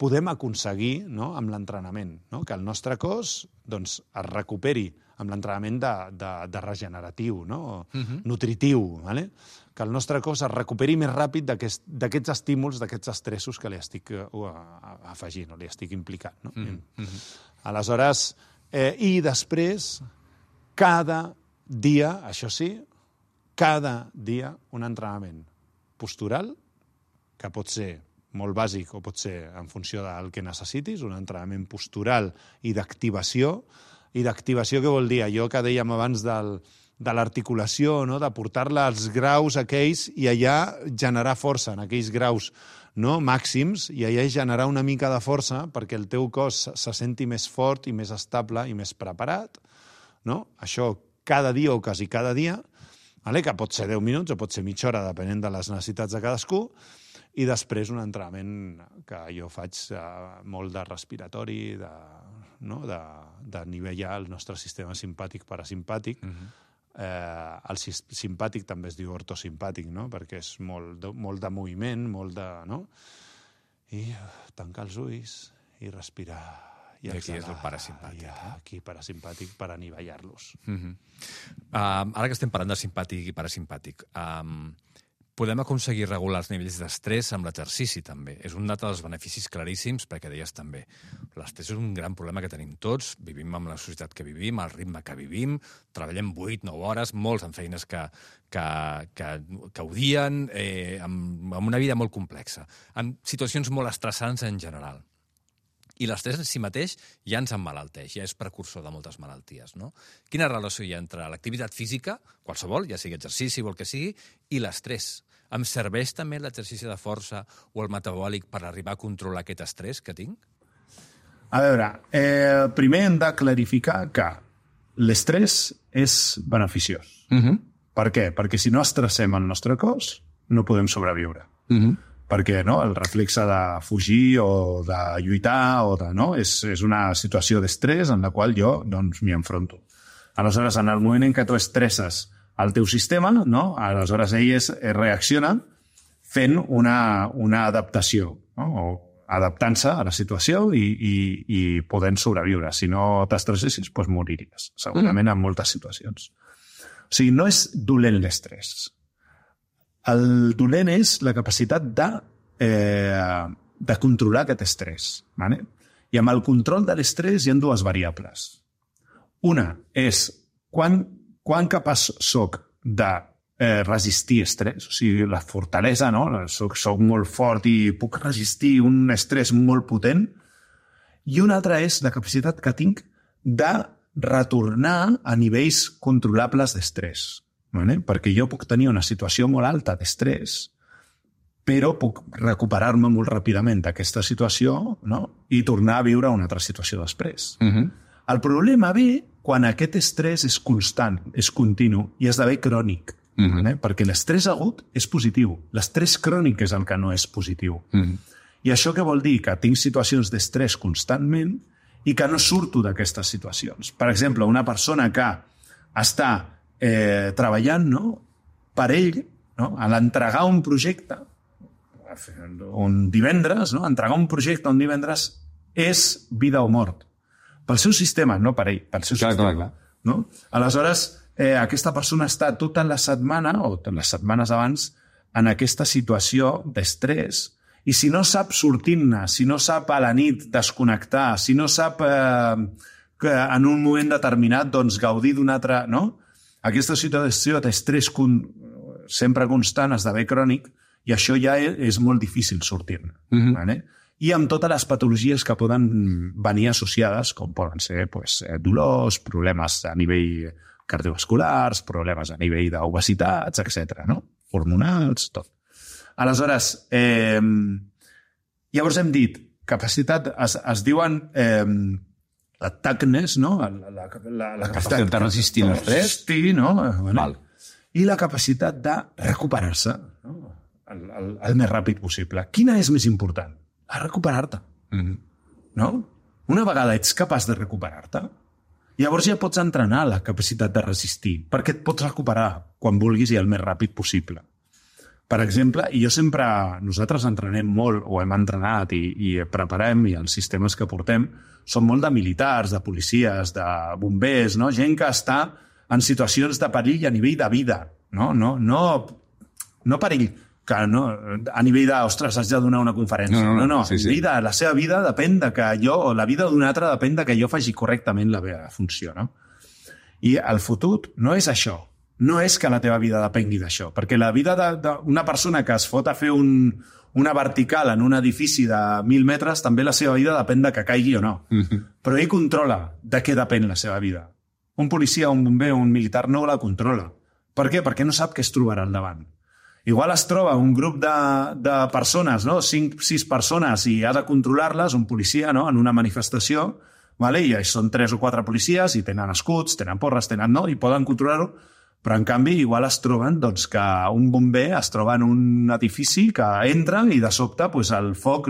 podem aconseguir, no? Amb l'entrenament, no? Que el nostre cos es recuperi amb l'entrenament de regeneratiu, no? Nutritiu, vale? Que el nostre cos es recuperi més ràpid d'aquests estímuls, d'aquests estressos que li estic afegint o li estic implicant. No? Aleshores, i després, cada dia, això sí, cada dia un entrenament postural, que pot ser molt bàsic o pot ser en funció del que necessitis, un entrenament postural i d'activació. I d'activació què vol dir? Allò que dèiem abans de l'articulació, no? De portar-la als graus aquells i allà generar força en aquells graus, no? Màxims, i allà generar una mica de força perquè el teu cos se senti més fort i més estable i més preparat. No? Això cada dia o quasi cada dia, que pot ser 10 minuts o pot ser mitja hora, depenent de les necessitats de cadascú, i després un entrenament que jo faig molt de respiratori, de nivellar el nostre sistema simpàtic-parasimpàtic. El simpàtic també es diu ortosimpàtic, no? Perquè és molt de moviment, molt de... No? I tancar els ulls i respirar. I aquí és el parasimpàtic. Aquí parasimpàtic per anivellar-los. Ara que estem parlant de simpàtic i parasimpàtic, podem aconseguir regular els nivells d'estrès amb l'exercici, també. És un dels beneficis claríssims, perquè deies també. L'estrès és un gran problema que tenim tots, vivim amb la societat que vivim, al ritme que vivim, treballem 8-9 hores, molts en feines que odien, amb una vida molt complexa, amb situacions molt estressants en general. I l'estrès en si mateix ja ens emmalalteix, ja és precursor de moltes malalties, no? Quina relació hi ha entre l'activitat física, qualsevol, ja sigui exercici o el que sigui, i l'estrès? Em serveix també l'exercici de força o el metabòlic per arribar a controlar aquest estrès que tinc? A veure, primer hem de clarificar que l'estrès és beneficiós. Per què? Perquè si no estressem el nostre cos, no podem sobreviure. Perquè el reflexe de fugir o de lluitar és una situació d'estrès en la qual jo m'hi enfronto. Aleshores, en el moment en què tu estresses el teu sistema, aleshores ell reacciona fent una adaptació, o adaptant-se a la situació i podent sobreviure. Si no t'estressessis, doncs moriries, segurament en moltes situacions. O sigui, no és dolent l'estrès. El dolent és la capacitat de controlar aquest estrès. Vale? I amb el control de l'estrès hi ha dues variables. Una és quan capaç soc de resistir estrès, o sigui, la fortalesa, soc molt fort i puc resistir un estrès molt potent, i una altra és la capacitat que tinc de retornar a nivells controlables d'estrès. Perquè jo puc tenir una situació molt alta d'estrès, però puc recuperar-me molt ràpidament d'aquesta situació i tornar a viure una altra situació després. El problema ve quan aquest estrès és constant, és continu i esdevé crònic, perquè l'estrès agut és positiu, l'estrès crònic és el que no és positiu. I això què vol dir? Que tinc situacions d'estrès constantment i que no surto d'aquestes situacions. Per exemple, una persona que està treballant per ell, a l'entregar un projecte, un divendres, entregar un projecte un divendres és vida o mort. Pel seu sistema, no per ell, pel seu sistema. Aleshores, aquesta persona està tota la setmana, o totes les setmanes abans, en aquesta situació d'estrès, i si no sap sortir-ne, si no sap a la nit desconnectar, si no sap que en un moment determinat gaudir d'un altre... Aquesta situació d'estrès sempre constant esdevé crònic i això ja és molt difícil sortir-ne. I amb totes les patologies que poden venir associades, com poden ser dolors, problemes a nivell cardiovasculars, problemes a nivell d'obesitats, etc. Hormonals, tot. Aleshores, llavors hem dit, capacitat, es diuen... la toughness, la capacitat de resistir l'estrès, i la capacitat de recuperar-se el més ràpid possible. Quina és més important? Recuperar-te. Una vegada ets capaç de recuperar-te, llavors ja pots entrenar la capacitat de resistir, perquè et pots recuperar quan vulguis i el més ràpid possible. Per exemple, nosaltres entrenem molt, o hem entrenat i preparem, i els sistemes que portem són molt de militars, de policies, de bombers, gent que està en situacions de perill a nivell de vida. No perill que a nivell de, ostres, has de donar una conferència. No. La seva vida depèn de que jo, o la vida d'un altre depèn de que jo faci correctament la meva funció. I el futur no és això. No és que la teva vida depengui d'això, perquè la vida d'una persona que es fot a fer una vertical en un edifici de 1.000 metres, també la seva vida depèn de que caigui o no. Però ell controla de què depèn la seva vida. Un policia, un bomber o un militar no la controla. Per què? Perquè no sap què es trobarà al davant. Igual es troba un grup de persones, 5-6 persones, i ha de controlar-les, un policia, en una manifestació, i són 3 o 4 policies, i tenen escuts, tenen porres, i poden controlar-ho. Però, en canvi, igual es troben que un bomber es troba en un edifici que entra i, de sobte, el foc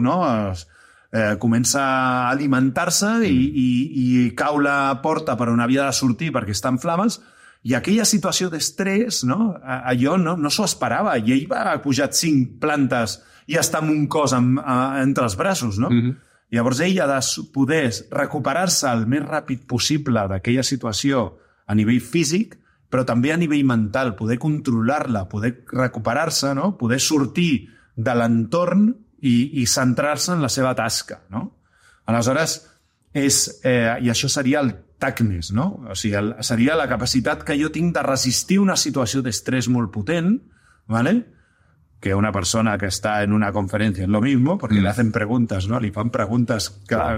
comença a alimentar-se i cau la porta per on havia de sortir perquè està en flames, i aquella situació d'estrès, allò no s'ho esperava, i ell va pujar 5 plantes i està amb un cos entre els braços. Llavors, ell ha de poder recuperar-se el més ràpid possible d'aquella situació a nivell físic, però també a nivell mental, poder controlar-la, poder recuperar-se, no? Poder sortir de l'entorn i centrar-se en la seva tasca, no? Aleshores, i això seria el TACNES, no? O sigui, seria la capacitat que jo tinc de resistir una situació d'estrès molt potent, ¿vale? Que una persona que està en una conferència és lo mismo, perquè le hacen preguntes, ¿no? Li fan preguntes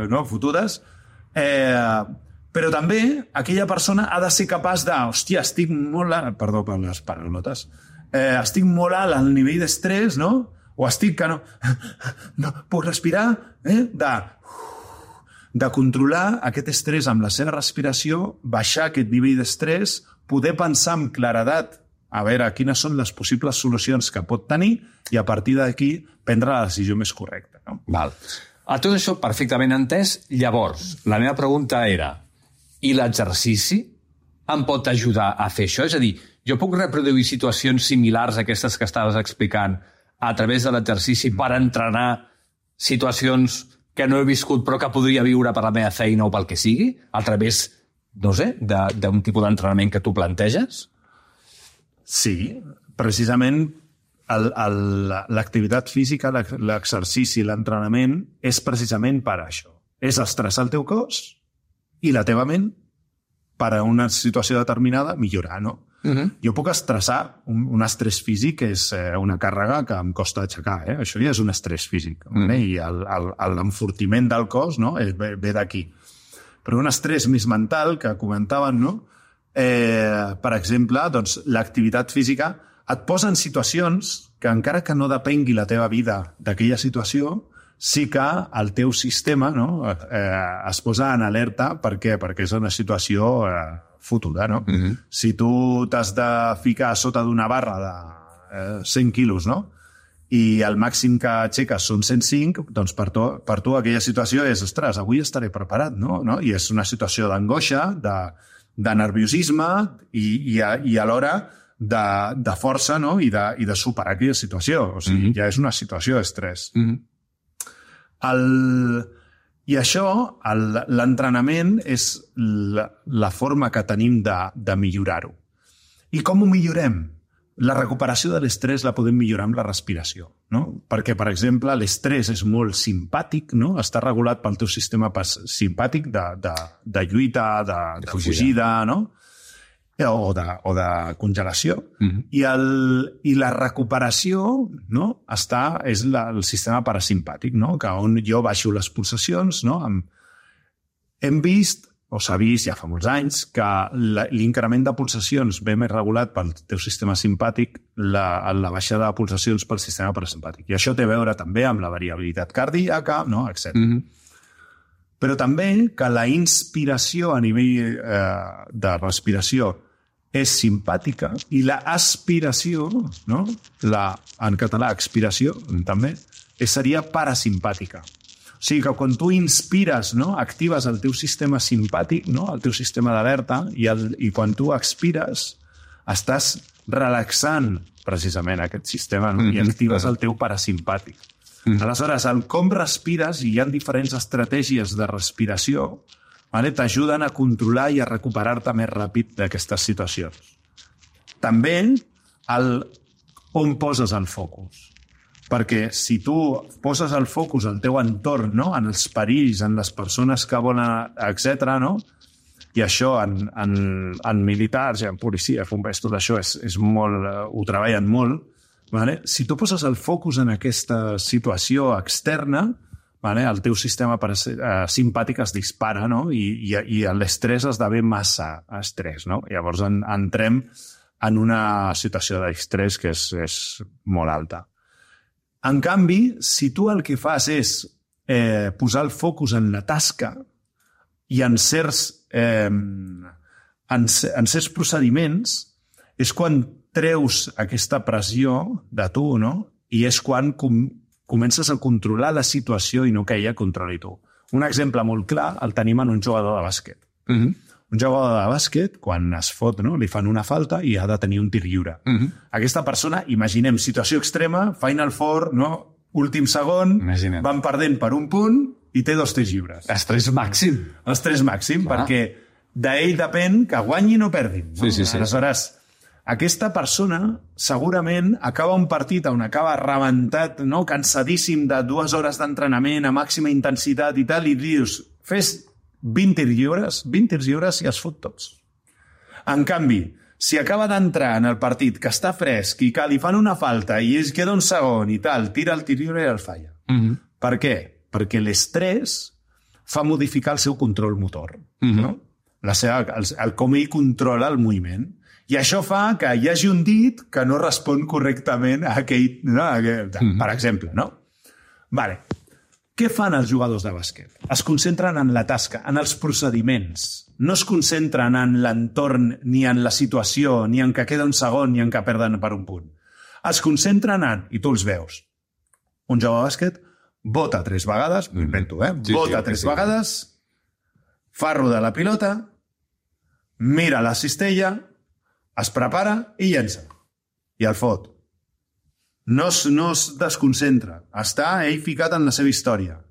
no, futures, però també aquella persona ha de ser capaç de, hòstia, estic molt alt, perdó per les paraulotes, estic molt alt al nivell d'estrès, no? O estic que no puc respirar, de controlar aquest estrès amb la seva respiració, baixar aquest nivell d'estrès, poder pensar amb claredat a veure quines són les possibles solucions que pot tenir i a partir d'aquí prendre la decisió més correcta. No? Val. A tot això perfectament entès, llavors, la meva pregunta era, i l'exercici em pot ajudar a fer això? És a dir, jo puc reproduir situacions similars a aquestes que estaves explicant a través de l'exercici per entrenar situacions que no he viscut però que podria viure per la meva feina o pel que sigui, a través, no sé, d'un tipus d'entrenament que tu planteges? Sí, precisament l'activitat física, l'exercici, l'entrenament és precisament per això. És estressar el teu cos i la teva ment per a una situació determinada millorar, no? Jo puc estressar, un estrès físic és una càrrega que em costa aixecar, això ja és un estrès físic, i l'enfortiment del cos, no? Ve d'aquí. Però un estrès més mental que comentaven, no? Per exemple, doncs, l'activitat física et posa en situacions que encara que no depengui la teva vida d'aquella situació, sí que el teu sistema, no? Es posa en alerta. Per què? Perquè és una situació fotuda, no? Si tu t'has de ficar sota d'una barra de 100 quilos, no? I el màxim que aixeques són 105, doncs per tu aquella situació és, ostres, avui estaré preparat, no? I és una situació d'angoixa, de nerviosisme i alhora de força, no? I de superar aquella situació. O sigui, ja és una situació d'estrès. I això, l'entrenament, és la forma que tenim de millorar-ho. I com ho millorem? La recuperació de l'estrès la podem millorar amb la respiració, no? Perquè, per exemple, l'estrès és molt simpàtic, no? Està regulat pel teu sistema simpàtic de lluita, de fugida, no? O de congelació. I la recuperació, no? És el sistema parasimpàtic, no? Que on jo baixo les pulsacions, no? Hem vist, o s'ha vist ja fa molts anys, que l'increment de pulsacions ve més regulat pel teu sistema simpàtic, la baixada de pulsacions pel sistema parasimpàtic. I això té a veure també amb la variabilitat cardíaca, no? Etc. Però també que la inspiració a nivell de respiració és simpàtica i l'aspiració, no? En català, expiració, també, seria parasimpàtica. O sigui que quan tu inspires, no? Actives el teu sistema simpàtic, no? El teu sistema d'alerta, i quan tu expires estàs relaxant precisament aquest sistema, no? I actives el teu parasimpàtic. Aleshores, com respires, i hi ha diferents estratègies de respiració, t'ajuden a controlar i a recuperar-te més ràpid d'aquestes situacions. També on poses el focus. Perquè si tu poses el focus al teu entorn, no? En els perills, en les persones que volen, etc., no? I això en militars, en policia, bombers, tot això és molt, ho treballen molt. Si tu poses el focus en aquesta situació externa, el teu sistema simpàtic es dispara, no? I l'estrès esdevé massa estrès, no? Llavors entrem en una situació d'estrès que és molt alta. En canvi, si tu el que fas és posar el focus en la tasca i en certs procediments, és quan treus aquesta pressió de tu, no? I és quan comences a controlar la situació i no que ella controli tu. Un exemple molt clar el tenim en un jugador de bàsquet. Un jugador de bàsquet, quan es fot, no? Li fan una falta i ha de tenir un tir lliure. Aquesta persona, imaginem, situació extrema, Final Four, no? Últim segon, van perdent per un punt i té 2 tirs lliures. Estrès màxim. Estrès màxim, perquè d'ell depèn que guanyin o perdin. No? Sí. Aleshores, aquesta persona segurament acaba un partit on acaba rebentat, no? Cansadíssim de 2 hores d'entrenament a màxima intensitat i tal, i dius, fes 20 tirs lliures i es fot tots. En canvi, si acaba d'entrar en el partit que està fresc i que li fan una falta i es queda un segon i tal, tira el tir lliure i el falla. Per què? Perquè l'estrès fa modificar el seu control motor, no? El com ell controla el moviment. I això fa que hi hagi un dit que no respon correctament a aquell... No? Per exemple, no? Vale. Què fan els jugadors de bàsquet? Es concentren en la tasca, en els procediments. No es concentren en l'entorn, ni en la situació, ni en que queda un segon, ni en que perden per un punt. Es concentren en, i tu els veus, un jugador de bàsquet bota 3 vegades, m'ho invento, bota 3 vegades, fa rodar la pilota, mira la cistella, es prepara i llença. I el fot. No es desconcentra. Està ell ficat en la seva història.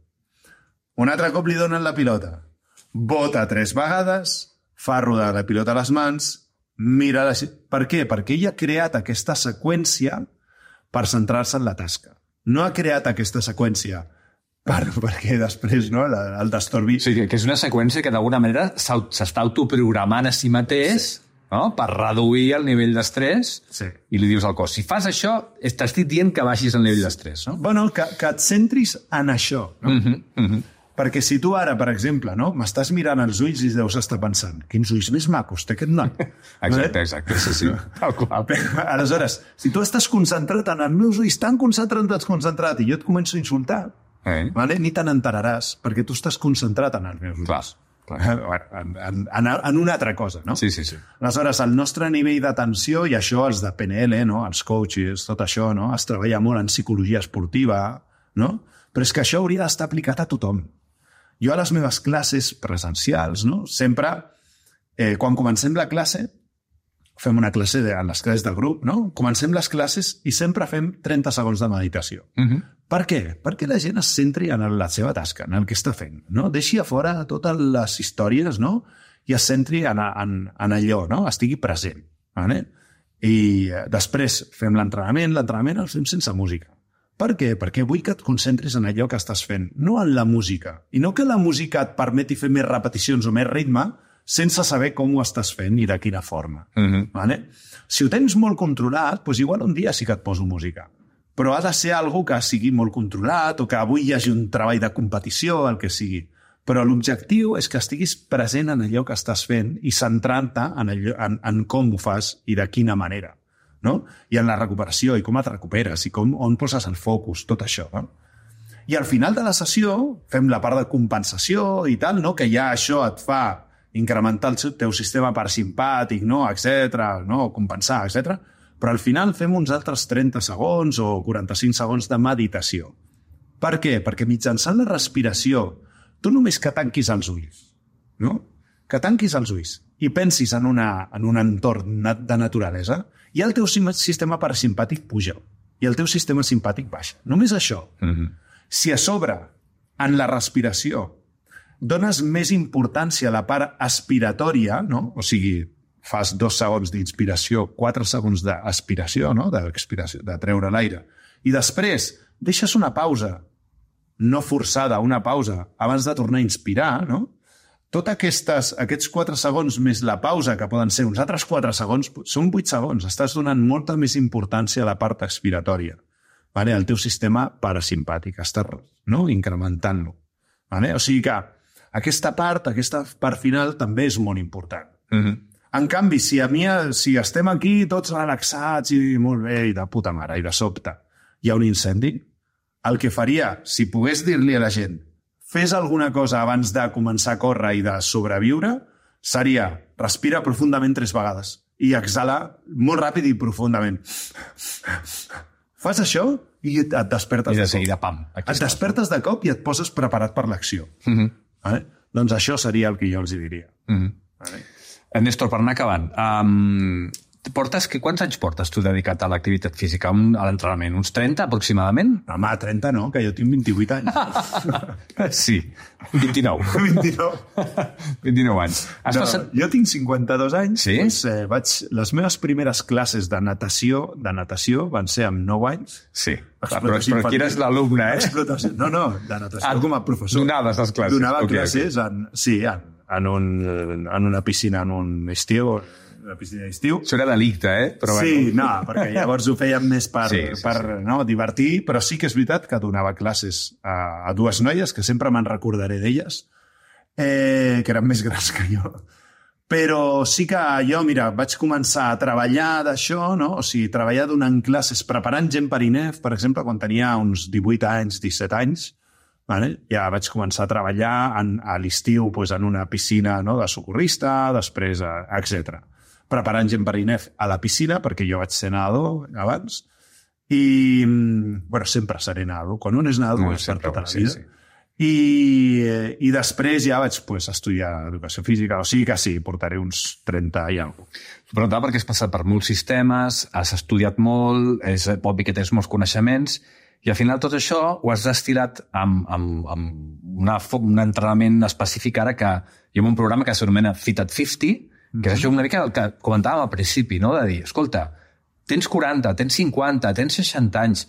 Un altre cop li donen la pilota. Bota 3 vegades, fa rodar la pilota a les mans, mira... Per què? Perquè ell ha creat aquesta seqüència per centrar-se en la tasca. No ha creat aquesta seqüència perquè després no, el destorbi... Sí, que és una seqüència que d'alguna manera s'està autoprogramant a si mateix, no? Per reduir el nivell d'estrès, i li dius al cos, si fas això, t'estic dient que baixis el nivell d'estrès. No? Bueno, que et centris en això. No? Perquè si tu ara, per exemple, no, m'estàs mirant els ulls i deus estar pensant, quins ulls més macos té aquest noi. Exacte, sí. Tal qual. Aleshores, si tu estàs concentrat en els meus ulls, tan concentrat, i jo et començo a insultar, vale? Ni te n'enteraràs, perquè tu estàs concentrat en els meus ulls. En una altra cosa, no? Sí. Aleshores, el nostre nivell d'atenció, i això els de PNL, no? Els coaches, tot això, no? Es treballa molt en psicologia esportiva, no? Però és que això hauria d'estar aplicat a tothom. Jo a les meves classes presencials, no? Sempre, quan comencem la classe, fem una classe en les classes de grup, no? Comencem les classes i sempre fem 30 segons de meditació. Per què? Perquè la gent es centri en la seva tasca, en el que està fent, no? Deixi a fora totes les històries, no? I es centri en allò, no? Estigui present. Vale? I després fem l'entrenament el fem sense música. Per què? Perquè vull que et concentris en allò que estàs fent, no en la música. I no que la música et permeti fer més repeticions o més ritme sense saber com ho estàs fent i de quina forma. Vale? Si ho tens molt controlat, doncs igual un dia sí que et poso música. Però ha de ser algo que sigui molt controlat o que avui hi hagi un treball de competició, el que sigui. Però l'objectiu és que estiguis present en allò que estàs fent i centrant-te en com ho fas i de quina manera. No? I en la recuperació, i com et recuperes, i on poses el focus, tot això. No? I al final de la sessió fem la part de compensació i tal, no? Que ja això et fa incrementar el teu sistema parasimpàtic, no? Etcètera, no? Compensar, etc. Però al final fem uns altres 30 segons o 45 segons de meditació. Per què? Perquè mitjançant la respiració, tu només que tanquis els ulls, no? Que tanquis els ulls i pensis en un entorn de naturalesa, i el teu sistema parasimpàtic puja i el teu sistema simpàtic baixa. Només això. Si a sobre, en la respiració, dones més importància a la part aspiratòria, no? O sigui, fas 2 segons d'inspiració, 4 segons d'aspiració, no? D'expiració, de treure l'aire, i després deixes una pausa no forçada, una pausa abans de tornar a inspirar, no? Tots aquests 4 segons més la pausa, que poden ser uns altres 4 segons, són 8 segons. Estàs donant molta més importància a la part expiratòria. Vale? El teu sistema parasimpàtic, estàs incrementant-lo. Vale? O sigui que aquesta part final també és molt important. En canvi, si estem aquí tots relaxats i molt bé, i de puta mare, i de sobte hi ha un incendi, el que faria, si pogués dir-li a la gent fes alguna cosa abans de començar a córrer i de sobreviure, seria respira profundament 3 vegades i exhala molt ràpid i profundament. Fas això i et despertes de seguida, pam. Et despertes de cop i et poses preparat per l'acció. Vale? Doncs això seria el que jo els diria. Vale? Néstor, per anar acabant, Quants anys portes tu dedicat a l'activitat física, a l'entrenament? Uns 30, aproximadament? No, home, 30 no, que jo tinc 28 anys. Sí, 29. 29 anys. Jo tinc 52 anys. Sí? Doncs, les meves primeres classes de natació van ser amb 9 anys. Sí, però qui eres l'alumne, Explotació. No, de natació com a professor. Donaves les classes. Donava classes en una piscina, en un estiu, una piscina d'estiu. Això era delicte, Però sí, no, perquè llavors ho fèiem més per Sí. divertir, però sí que és veritat que donava classes a dues noies, que sempre me'n recordaré d'elles, que eren més grans que jo. Però sí que jo, vaig començar a treballar d'això, no? O sigui, treballar donant classes, preparant gent per INEF, per exemple, quan tenia uns 18 anys, 17 anys, vale? Ja vaig començar a treballar a l'estiu en una piscina, no? De socorrista, després, etc. Preparant gent per INEF a la piscina, perquè jo vaig ser nedador abans, i sempre seré nedador. Quan un és nedador és per tota la vida. Sí. I després ja vaig estudiar educació física, o sigui que sí, portaré uns 30 i alguna cosa. Però perquè has passat per molts sistemes, has estudiat molt, és obvi que tens molts coneixements, i al final tot això ho has destilat amb un entrenament específic ara que hi ha un programa que s'anomena Fit at 50, que és això una mica el que comentàvem al principi, no? De dir, escolta, tens 40, tens 50, tens 60 anys,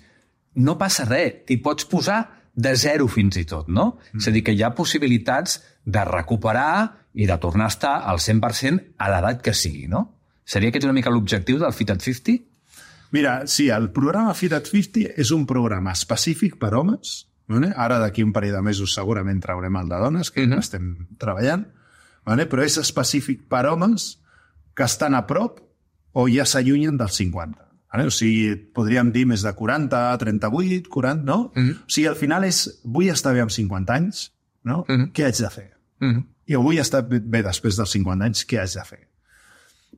no passa res, t'hi pots posar de zero fins i tot, no? És a dir, que hi ha possibilitats de recuperar i de tornar a estar al 100% a l'edat que sigui, no? Seria aquest una mica l'objectiu del Fit at 50? Mira, sí, el programa Fit at 50 és un programa específic per homes. Ara d'aquí un parell de mesos segurament traurem el de dones, que estem treballant, però és específic per homes que estan a prop o ja s'allunyen dels 50. O sigui, podríem dir més de 40, 38, 40, no? O sigui, al final és, vull estar bé amb 50 anys, no? Què haig de fer? I vull estar bé després dels 50 anys, què haig de fer?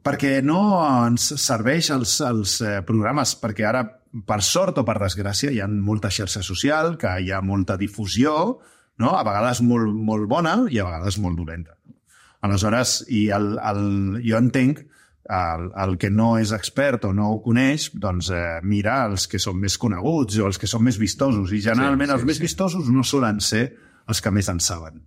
Perquè no ens serveix els programes, perquè ara, per sort o per desgràcia, hi ha molta xarxa social, que hi ha molta difusió, no? A vegades molt bona i a vegades molt dolenta. Aleshores, jo entenc el que no és expert o no ho coneix, doncs mira els que són més coneguts o els que són més vistosos. I generalment els més vistosos no solen ser els que més en saben.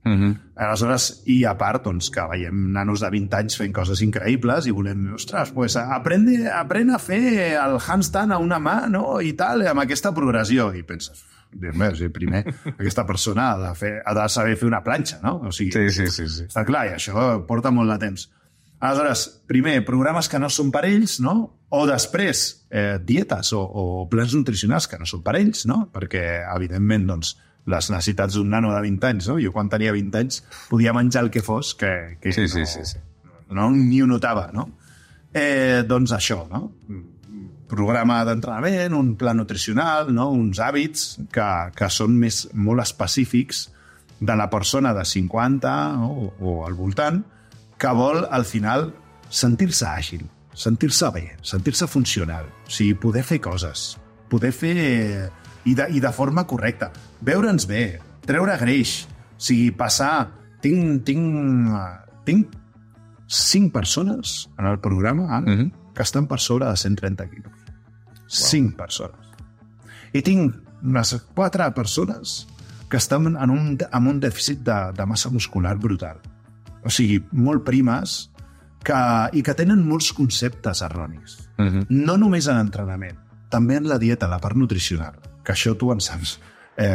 Aleshores, i a part, doncs, que veiem nanos de 20 anys fent coses increïbles i volem, ostres, aprèn a fer el handstand a una mà, no?, i tal, amb aquesta progressió. I penses, primer, aquesta persona ha de saber fer una planxa, no? O sigui, sí. Està clar, i això porta molt de temps. Aleshores, primer, programes que no són per ells, no? O després, dietes o plans nutricionals que no són per ells, no? Perquè, evidentment, doncs, les necessitats d'un nano de 20 anys, no? Jo quan tenia 20 anys podia menjar el que fos, que no ni ho notava, no? Doncs això, no? Programa d'entrenament, un pla nutricional, no? Uns hàbits que són molt específics de la persona de 50 o al voltant, que vol, al final, sentir-se àgil, sentir-se bé, sentir-se funcional. O sigui, poder fer coses, poder fer... I de forma correcta. Veure'ns bé, treure greix. O sigui, passar... Tinc 5 persones en el programa ara que estan per sobre de 130 quilos. 5 persones. I tinc unes 4 persones que estan amb un dèficit de massa muscular brutal. O sigui, molt primes i que tenen molts conceptes erronis. No només en entrenament, també en la dieta, la part nutricional, que això tu en saps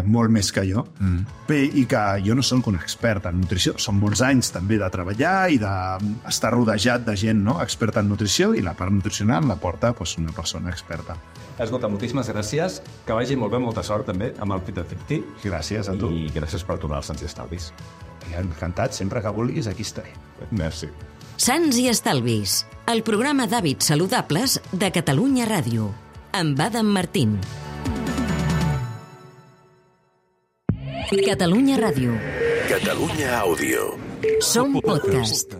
molt més que jo, i que jo no soc un expert en nutrició. Són molts anys també de treballar i d'estar rodejat de gent, no?, experta en nutrició, i la part nutricional la porta una persona experta. Escolta, moltíssimes gràcies. Que vagi molt bé, molta sort també amb el Fit at 50. Gràcies a tu. I gràcies per tornar als Sants i Estalvis. Encantat, sempre que vulguis, aquí estaré. Merci. Sants i Estalvis, el programa d'hàbits saludables de Catalunya Ràdio, amb Adam Martín. Catalunya Ràdio. Catalunya Àudio. Som podcast.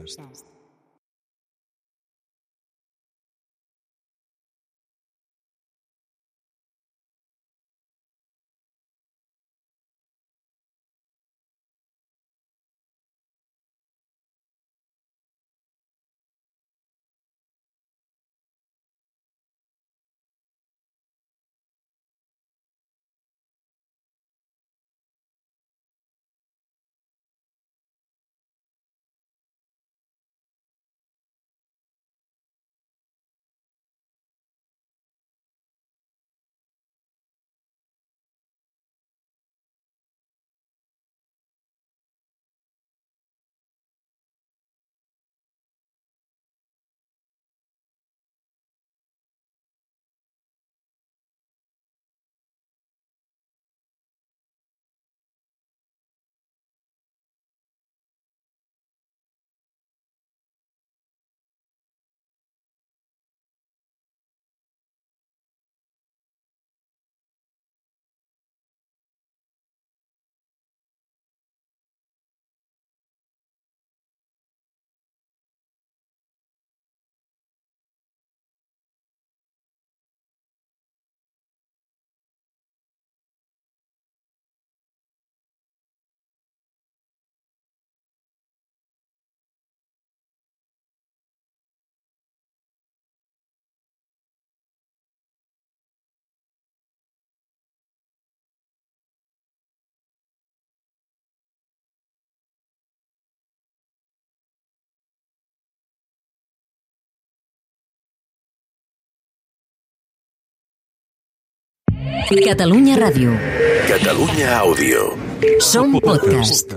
Catalunya Ràdio. Catalunya Àudio. Som podcast.